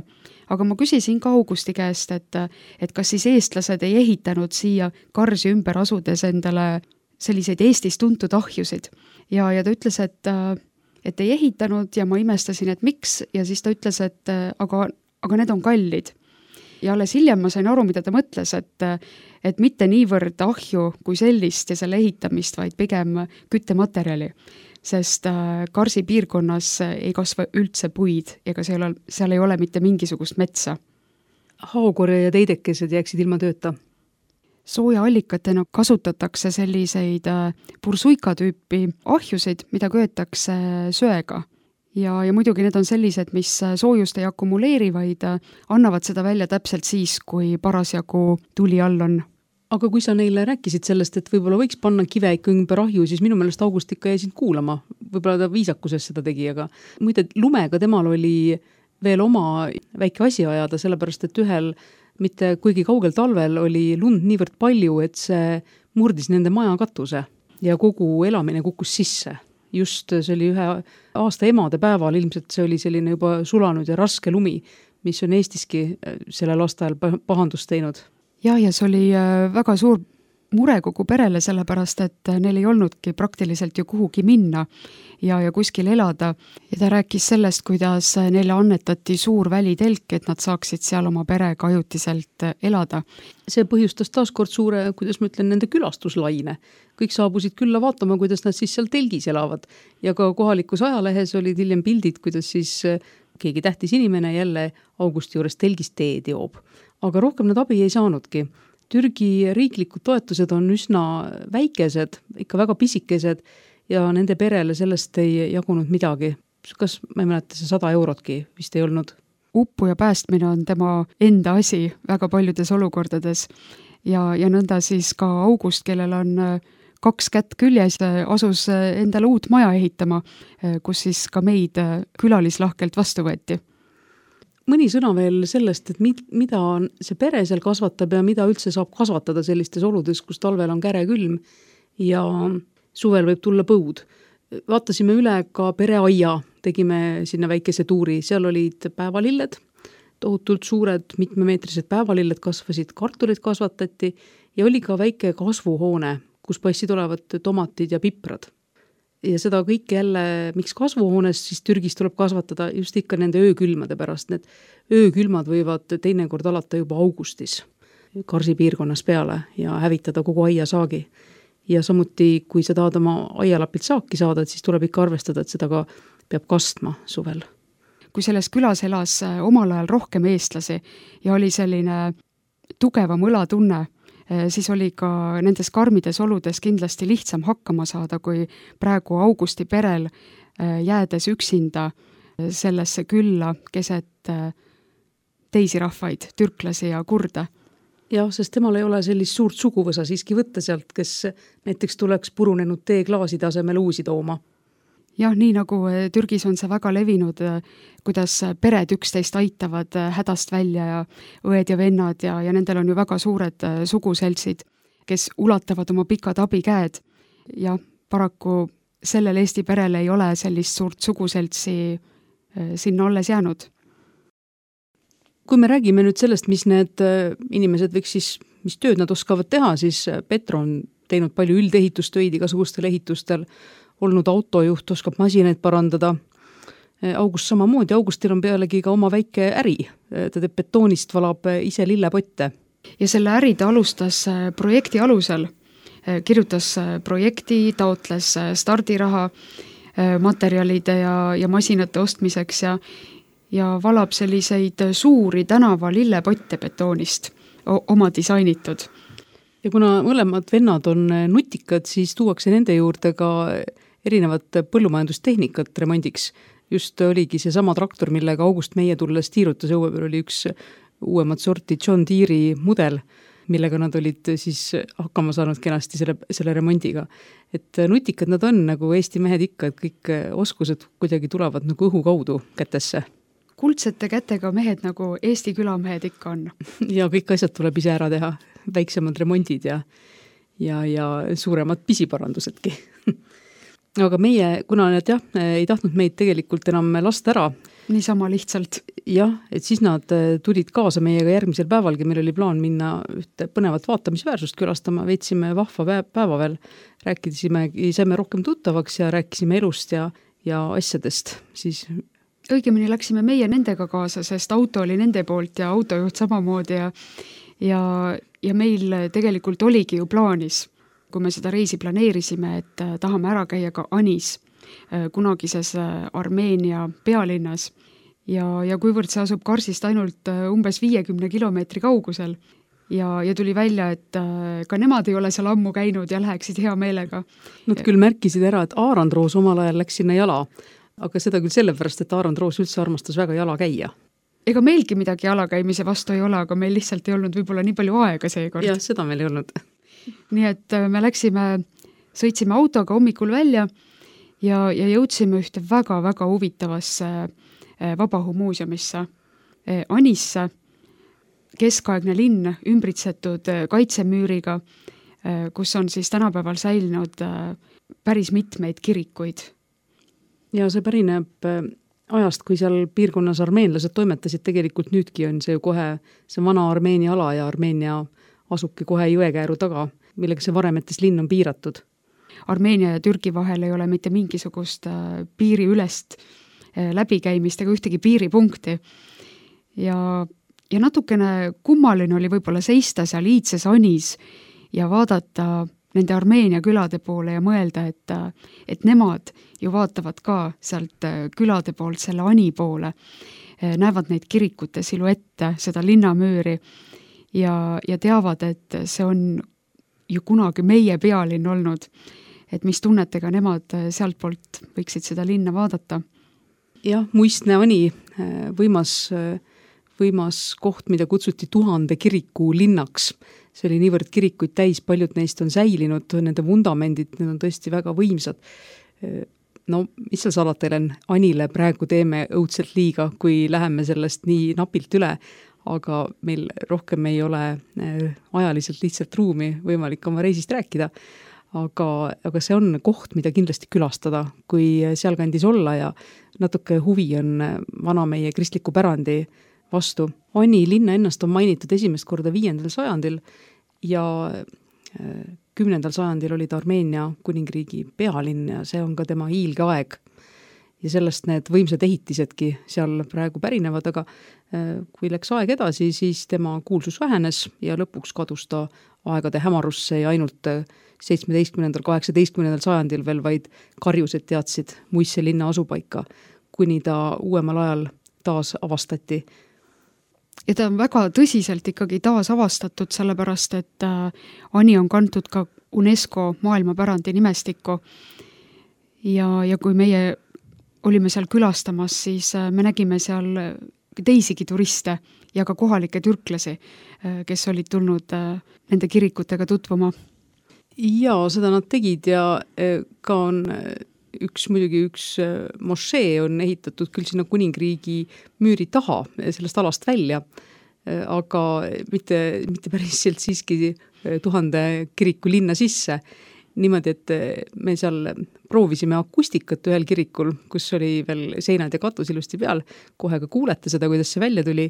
Aga ma küsisin ka Augusti käest, et kas siis eestlased ei ehitanud siia karsi ümber asudes endale selliseid Eestis tuntud ahjusid. Ja ta ütles, et ei ehitanud ja ma imestasin, et miks, ja siis ta ütles, et aga need on kallid. Ja alles hiljem ma sain aru, mida ta mõtles, et mitte niivõrd ahju kui sellist ja selle ehitamist, vaid pigem küttematerjali, sest karsi piirkonnas ei kasva üldse puid ega seal ei ole mitte mingisugust metsa. Haokorje ja teidekesed jääksid ilma tööta. Sooja-allikatena kasutatakse selliseid pursuika tüüpi ahjusid, mida köetakse söega. Ja muidugi need on sellised, mis soojust ei akumuleeri, vaid annavad seda välja täpselt siis, kui parasjagu tuli all on. Aga kui sa neile rääkisid sellest, et võib-olla võiks panna kive ikka ümber ahju, siis minu meelest August ikka jäi sind kuulama. Võib-olla ta viisakuses seda tegi, aga muide lumega temal oli veel oma väike asi ajada, sellepärast et ühel mitte kuigi kaugel talvel oli lund niivõrd palju, et see murdis nende maja katuse ja kogu elamine kukkus sisse. Just see oli ühe aasta emade päeval, ilmselt see oli selline juba sulanud ja raske lumi, mis on Eestiski sellel aastal pahandust teinud. Ja see oli väga suur mure kogu perele, sellepärast, et neil ei olnudki praktiliselt ju kuhugi minna ja kuskil elada. Ja ta rääkis sellest, kuidas neile annetati suur välitelk, et nad saaksid seal oma perega ajutiselt elada. See põhjustas taaskord suure, kuidas ma ütlen, nende külastuslaine. Kõik saabusid külla vaatama, kuidas nad siis seal telgis elavad. Ja ka kohalikus ajalehes olid hiljem pildid, kuidas siis keegi tähtis inimene jälle Augusti juures telgis teed joob. Aga rohkem nad abi ei saanudki. Türgi riiklikud toetused on üsna väikesed, ikka väga pisikesed ja nende perele sellest ei jagunud midagi. Kas ma ei mäleta, see 100 eurotki vist ei olnud? Uppu ja päästmine on tema enda asi väga paljudes olukordades ja nõnda siis ka August, kellel on 2 kätt küljes, asus endale uut maja ehitama, kus siis ka meid külalislahkelt vastu võeti. Mõni sõna veel sellest, et mida see pere seal kasvatab ja mida üldse saab kasvatada sellistes oludes, kus talvel on käre külm ja suvel võib tulla põud. Vaatasime üle ka pereaia, tegime sinna väikese tuuri, seal olid päevalilled, tohutult suured mitmemeetrised päevalilled kasvasid, kartulid kasvatati ja oli ka väike kasvuhoone, kus paistsid olevat tomatid ja piprad. Ja seda kõik jälle, miks kasvuhoones siis Türgis tuleb kasvatada just ikka nende öökülmade pärast. Need öökülmad võivad teinekord alata juba augustis karsi piirkonnas peale ja hävitada kogu aiasaagi. Ja samuti, kui sa tahad oma aialapilt saaki saada, siis tuleb ikka arvestada, et seda ka peab kastma suvel. Kui selles külas elas omal ajal rohkem eestlasi ja oli selline tugevam õlatunne, siis oli ka nendes karmides oludes kindlasti lihtsam hakkama saada, kui praegu Augusti perel jäädes üksinda sellesse külla keset teisi rahvaid, türklasi ja kurde. Jah, sest temal ei ole sellist suurt suguvõsa siiski võtta sealt, kes näiteks tuleks purunenud teeklaaside asemel uusi tooma. Jah, nii nagu Türgis on see väga levinud, kuidas pered üksteist aitavad hädast välja ja õed ja vennad ja nendel on ju väga suured suguseltsid, kes ulatavad oma pikad abikäed. Ja paraku sellel Eesti perel ei ole sellist suurt suguseltsi sinna alles jäänud. Kui me räägime nüüd sellest, mis need inimesed võiks siis, mis tööd nad oskavad teha, siis Petro on teinud palju üldehitustöid igasugustel ehitustel, olnud autojuht, oskab masinaid parandada. August samamoodi, Augustil on pealegi ka oma väike äri. Ta teeb betoonist, valab ise lillepotte. Ja selle äri ta alustas projekti alusel. Kirjutas projekti, taotles stardiraha materjalide ja masinate ostmiseks ja valab selliseid suuri tänava lillepotte betoonist oma disainitud. Ja kuna mõlemad vennad on nutikad, siis tuuakse nende juurde ka erinevat põllumajandustehnikat remondiks. Just oligi see sama traktor, millega August meie tulles tiirutas õue peal, oli üks uuemat sorti John Deere'i mudel. millega nad olid siis hakkama saanud kenasti selle remondiga. Et nutikad nad on, nagu Eesti mehed ikka, et kõik oskused kuidagi tulevad nagu õhu kaudu kätesse. Kuldsete kätega mehed, nagu Eesti külamehed ikka on. Ja kõik asjad tuleb ise ära teha, väiksemad remondid ja suuremad pisiparandusedki. Aga meie, kuna need ei tahtnud meid tegelikult enam lasta ära. Niisama lihtsalt. Jah, et siis nad tulid kaasa meiega järgmisel päevalgi, meil oli plaan minna ühte põnevat vaatamisväärsust külastama, veetsime vahva päeva veel, saime rohkem tuttavaks ja rääkisime elust ja asjadest, siis õigemini läksime meie nendega kaasa, sest auto oli nende poolt ja autojuht samamoodi ja meil tegelikult oligi ju plaanis, kui me seda reisi planeerisime, et tahame ära käia ka Anis, kunagises Armeenia pealinnas ja kuivõrd see asub Karsist ainult umbes 50 kilomeetri kaugusel ja tuli välja, et ka nemad ei ole seal ammu käinud ja läheksid hea meelega. Nad küll märkisid ära, et Aarandroos omal ajal läks sinna jala, aga seda küll sellepärast, et Aarandroos üldse armastas väga jala käia. Ega meilgi midagi jalakäimise vastu ei ole, aga meil lihtsalt ei olnud võib-olla nii palju aega seekord. Jah, seda meil ei olnud. Nii et me sõitsime autoga hommikul välja ja jõudsime ühte väga-väga huvitavasse vabahumuuseumisse Anisse, keskaegne linn ümbritsetud kaitsemüüriga, kus on siis tänapäeval säilinud päris mitmeid kirikuid. Ja see pärineb ajast, kui seal piirkonnas armeenlased toimetasid, tegelikult nüüdki on see ju kohe see vana Armeenia ala ja Armeenia asubki kohe jõekääru taga, millega see varemetes linn on piiratud. Armeenia ja Türgi vahel ei ole mitte mingisugust piiriülest läbikäimist ega ühtegi piiripunkti. Ja natukene kummaline oli võib-olla seista seal iidses Anis ja vaadata nende Armeenia külade poole ja mõelda, et nemad ju vaatavad ka sealt külade poolt selle Ani poole, näevad neid kirikute siluette, seda linnamüüri ja teavad, et see on ju kunagi meie pealinn olnud, et mis tunnetega nemad sealt poolt võiksid seda linna vaadata. Jah, muistne Ani, võimas koht, mida kutsuti 1000 kiriku linnaks. See oli niivõrd kirikuid täis, paljud neist on säilinud, nende vundamendid, need on tõesti väga võimsad. No, mis seal salata, Helen, Anile praegu teeme õudselt liiga, kui läheme sellest nii napilt üle, aga meil rohkem ei ole ajaliselt lihtsalt ruumi võimalik oma reisist rääkida. Aga see on koht, mida kindlasti külastada, kui sealkandis olla ja natuke huvi on vana meie kristliku pärandi vastu. Ani linna ennast on mainitud esimest korda 5. sajandil ja 10. sajandil oli ta Armeenia kuningriigi pealinn ja see on ka tema hiilge aeg. Ja sellest need võimsad ehitisedki seal praegu pärinevad, aga kui läks aeg edasi, siis tema kuulsus vähenes ja lõpuks kadus ta aegade hämarusse ja ainult 17. 18. sajandil veel vaid karjused teadsid muisse linna asupaika, kuni ta uuemal ajal taas avastati. Ja ta on väga tõsiselt ikkagi taas avastatud, sellepärast, et Ani on kantud ka UNESCO maailmapärandi nimestikku ja kui meie olime seal külastamas, siis me nägime seal teisigi turiste ja ka kohalikke türklasi, kes olid tulnud nende kirikutega tutvuma. Ja seda nad tegid ja ka on muidugi üks mošee on ehitatud küll sinna kuningriigi müüri taha sellest alast välja, aga mitte päriselt siiski 1000 kiriku linna sisse. Niimoodi, et me seal proovisime akustikat ühel kirikul, kus oli veel seinad ja katus ilusti peal, kohe ka kuulete seda, kuidas see välja tuli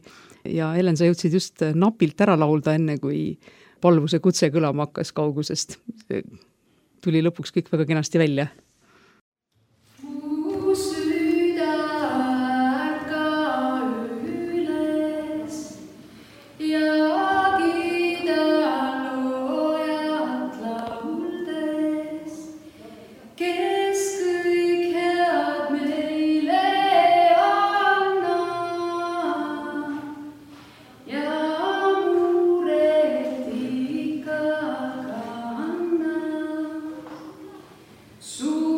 ja Helen, sa jõudsid just napilt ära laulda enne, kui palvuse kutse kõlama hakkas kaugusest. Tuli lõpuks kõik väga kenasti välja. Su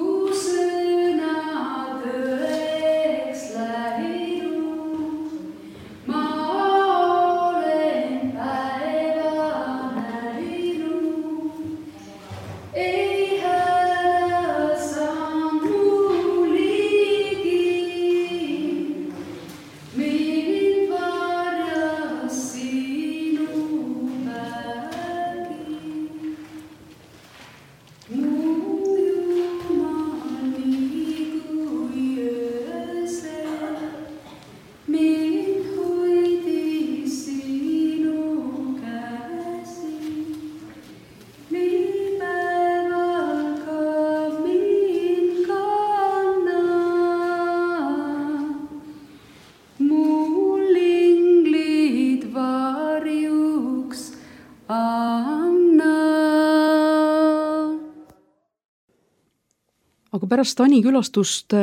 aga pärast Ani külastust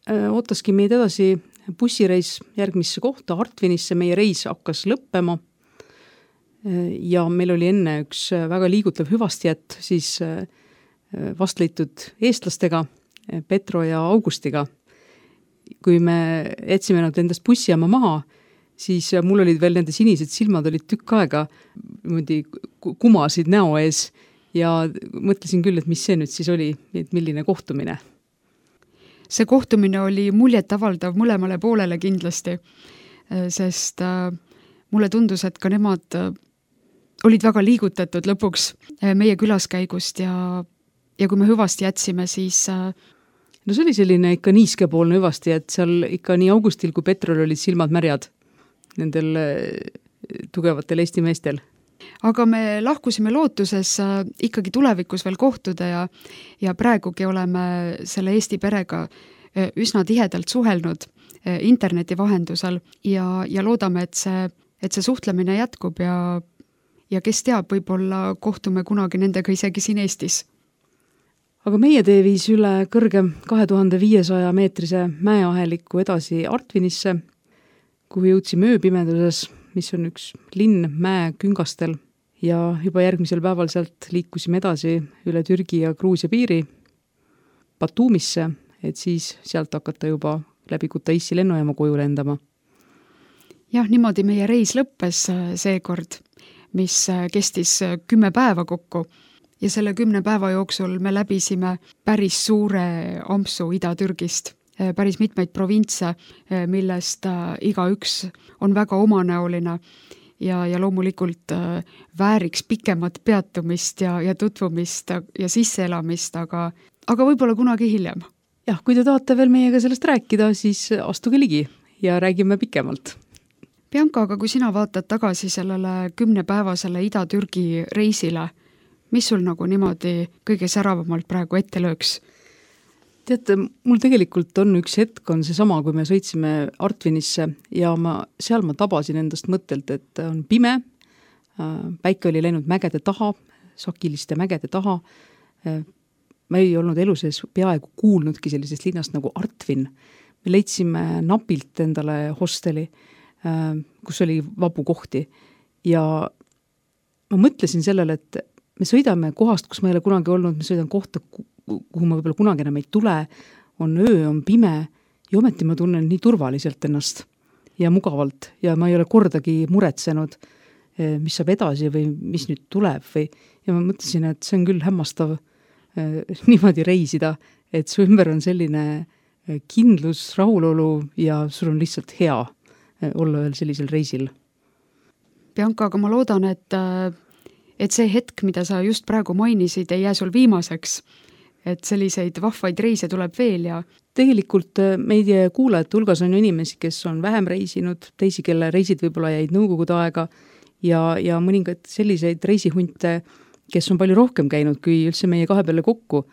ootaski meid edasi bussireis järgmisse kohta, Artvinisse, meie reis hakkas lõppema ja meil oli enne üks väga liigutav hüvastijätt siis vastleitud eestlastega, Petro ja Augustiga. Kui me jätsime nad endast bussijaama maha, siis mul olid veel nende sinised silmad olid tükk aega kumasid näo ees ja mõtlesin küll, et mis see nüüd siis oli, et milline kohtumine. See kohtumine oli muljetavaldav mõlemale poolele kindlasti, sest mulle tundus, et ka nemad olid väga liigutatud lõpuks meie külaskäigust ja kui me hüvasti jätsime, siis no see oli selline ikka niiskepoolne hüvasti, et seal ikka nii Augustil kui Petrol olid silmad märjad nendel tugevatel Eesti meestel. Aga me lahkusime lootuses ikkagi tulevikus veel kohtuda ja praegugi oleme selle Eesti perega üsna tihedalt suhelnud interneti vahendusel ja loodame, et see suhtlemine jätkub ja kes teab, võib-olla kohtume kunagi nendega isegi siin Eestis. Aga meie tee viis üle kõrge 2500 meetrise mäeaheliku edasi Artvinisse, kuhu jõudsime ööpimeduses, mis on üks linn mäe küngastel ja juba järgmisel päeval sealt liikusime edasi üle Türgi ja Gruusia piiri Batumisse, et siis sealt hakata juba läbi Kutaissi lennujaama koju lendama. Jah, niimoodi meie reis lõppes seekord, mis kestis 10 päeva kokku ja selle 10 päeva jooksul me läbisime päris suure ampsu Ida-Türgist, päris mitmeid provintse, millest igaüks on väga omanäoline ja loomulikult vääriks pikemat peatumist ja tutvumist ja sisseelamist, aga võib-olla kunagi hiljem. Jah, kui te tahate veel meiega sellest rääkida, siis astuge ligi ja räägime pikemalt. Bianca, aga kui sina vaatad tagasi sellele 10-päevasele Ida-Türgi reisile, mis sul nagu niimoodi kõige säravamalt praegu ette lööks? Teate, mul tegelikult on üks hetk, on see sama, kui me sõitsime Artvinisse ja seal ma tabasin endast mõttelt, et on pime, päike oli läinud mägede taha, sakiliste mägede taha. Ma ei olnud elu sees peaaegu kuulnudki sellisest linnast nagu Artvin. Me leidsime napilt endale hosteli, kus oli vabu kohti ja ma mõtlesin sellele, et me sõidame kohast, kus ma ei ole kunagi olnud, me sõidan kohta, kuhu ma võib-olla kunagi enam ei tule, on öö, on pime ja ometi ma tunnen nii turvaliselt ennast ja mugavalt ja ma ei ole kordagi muretsenud, mis saab edasi või mis nüüd tuleb ja ma mõtlesin, et see on küll hämmastav niimoodi reisida, et su ümber on selline kindlus, rahulolu ja sul on lihtsalt hea olla veel sellisel reisil. Bianca, aga ma loodan, et see hetk, mida sa just praegu mainisid, ei jää sul viimaseks, et selliseid vahvaid reise tuleb veel ja tegelikult meie kuulajate hulgas on inimesi, kes on vähem reisinud, teisi, kelle reisid võib-olla jäid nõukogude aega ja mõningad selliseid reisihunte, kes on palju rohkem käinud kui üldse meie kahe peale kokku.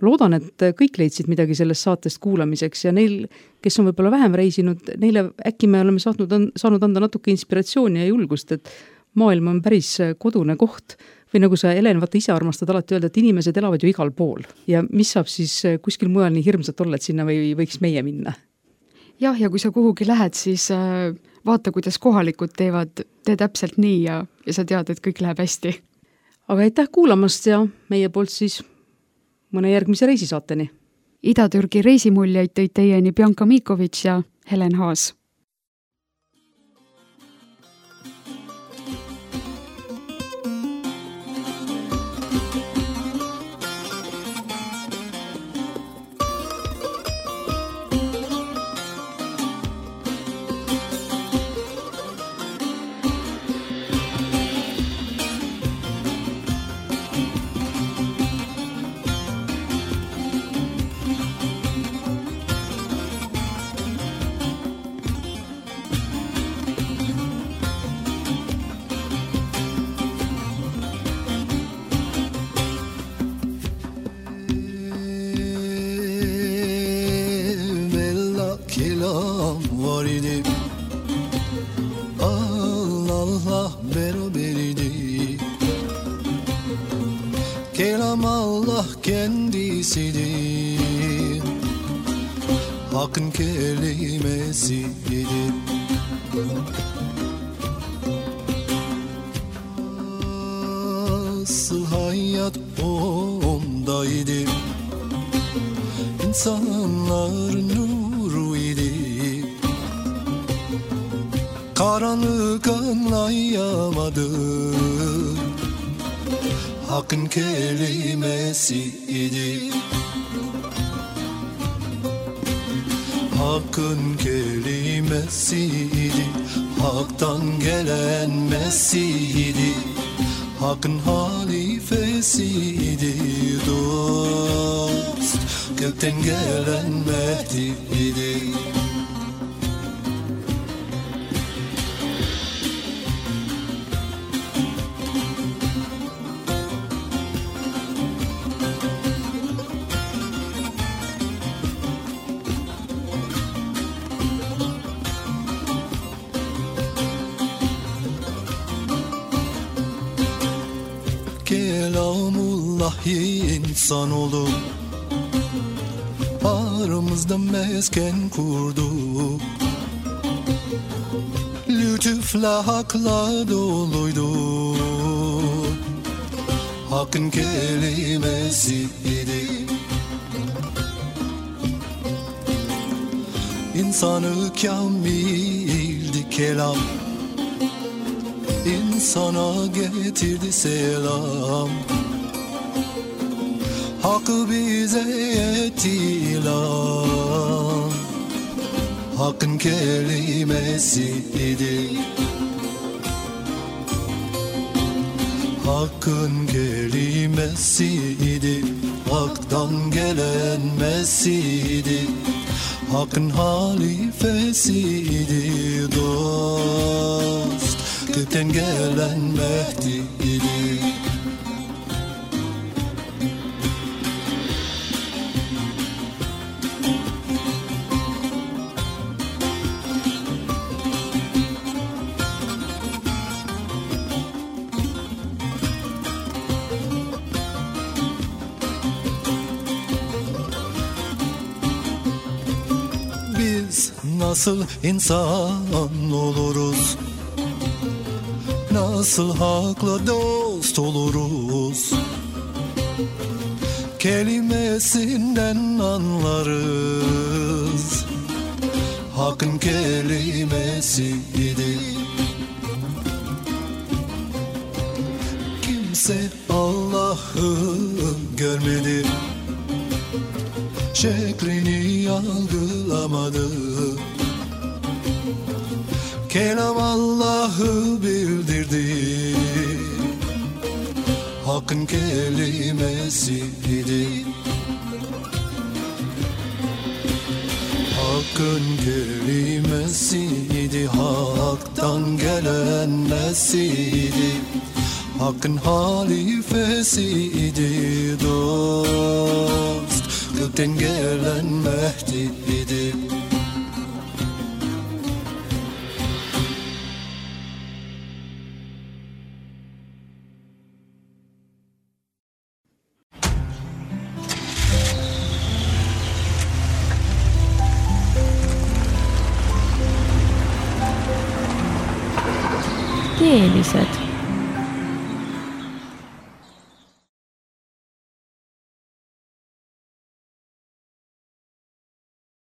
Loodan, et kõik leidsid midagi sellest saatest kuulamiseks ja neil, kes on võib-olla vähem reisinud, neile äkki me oleme saanud anda natuke inspiratsiooni ja julgust, et maailm on päris kodune koht või nagu sa, Helen, vaata ise armastad alati öelda, et inimesed elavad ju igal pool ja mis saab siis kuskil mujal nii hirmsat olla, et sinna võiks meie minna? Jah, ja kui sa kuhugi lähed, siis vaata, kuidas kohalikud tee täpselt nii ja sa tead, et kõik läheb hästi. Aga aitäh kuulamast ja meie poolt siis mõne järgmise reisisaateni. Ida-Türgi reisimuljeid tõid teieni Bianca Miikovic ja Helen Haas. Kelam Allah Allah kendisidir, Hakkın kelimesidir. Nasıl hayat ondaydı, İnsanlar nuru idi, karanlık anlayamadı, Hakkın kelimesi idi. Hakkın kelimesiydi, Hak'tan gelen Mesih'idi, Hakkın halifesiydi, dost gökten gelen Mehdi'ydi. Kelamullahi insan olur, aramızda mesken kurdu, lütufla hakla doluydu, Hakkın kelimesiydi. İnsanı kamildi kelam, İnsana getirdi selam, Hakkı bize etti ilan, Hakkın kelimesiydi. Hakkın kelimesiydi, Hak'tan gelen Mesih'idi, Hakkın halifesiydi, dost gökten gelen Mehdi'ydi. Biz nasıl insan oluruz, nasıl hakla dost oluruz, kelimesinden anlarız, Hakkın kelimesiydi. Kimse Allah'ı görmedi, şeklini algılamadı, kelam Allah'ı bildirdi, Hakkın kelimesiydi. Hakkın kelimesiydi, Hak'tan gelen Mesih'idi, Hakkın halifesiydi, dost gökten gelen Mehdi'ydi. Keeliset.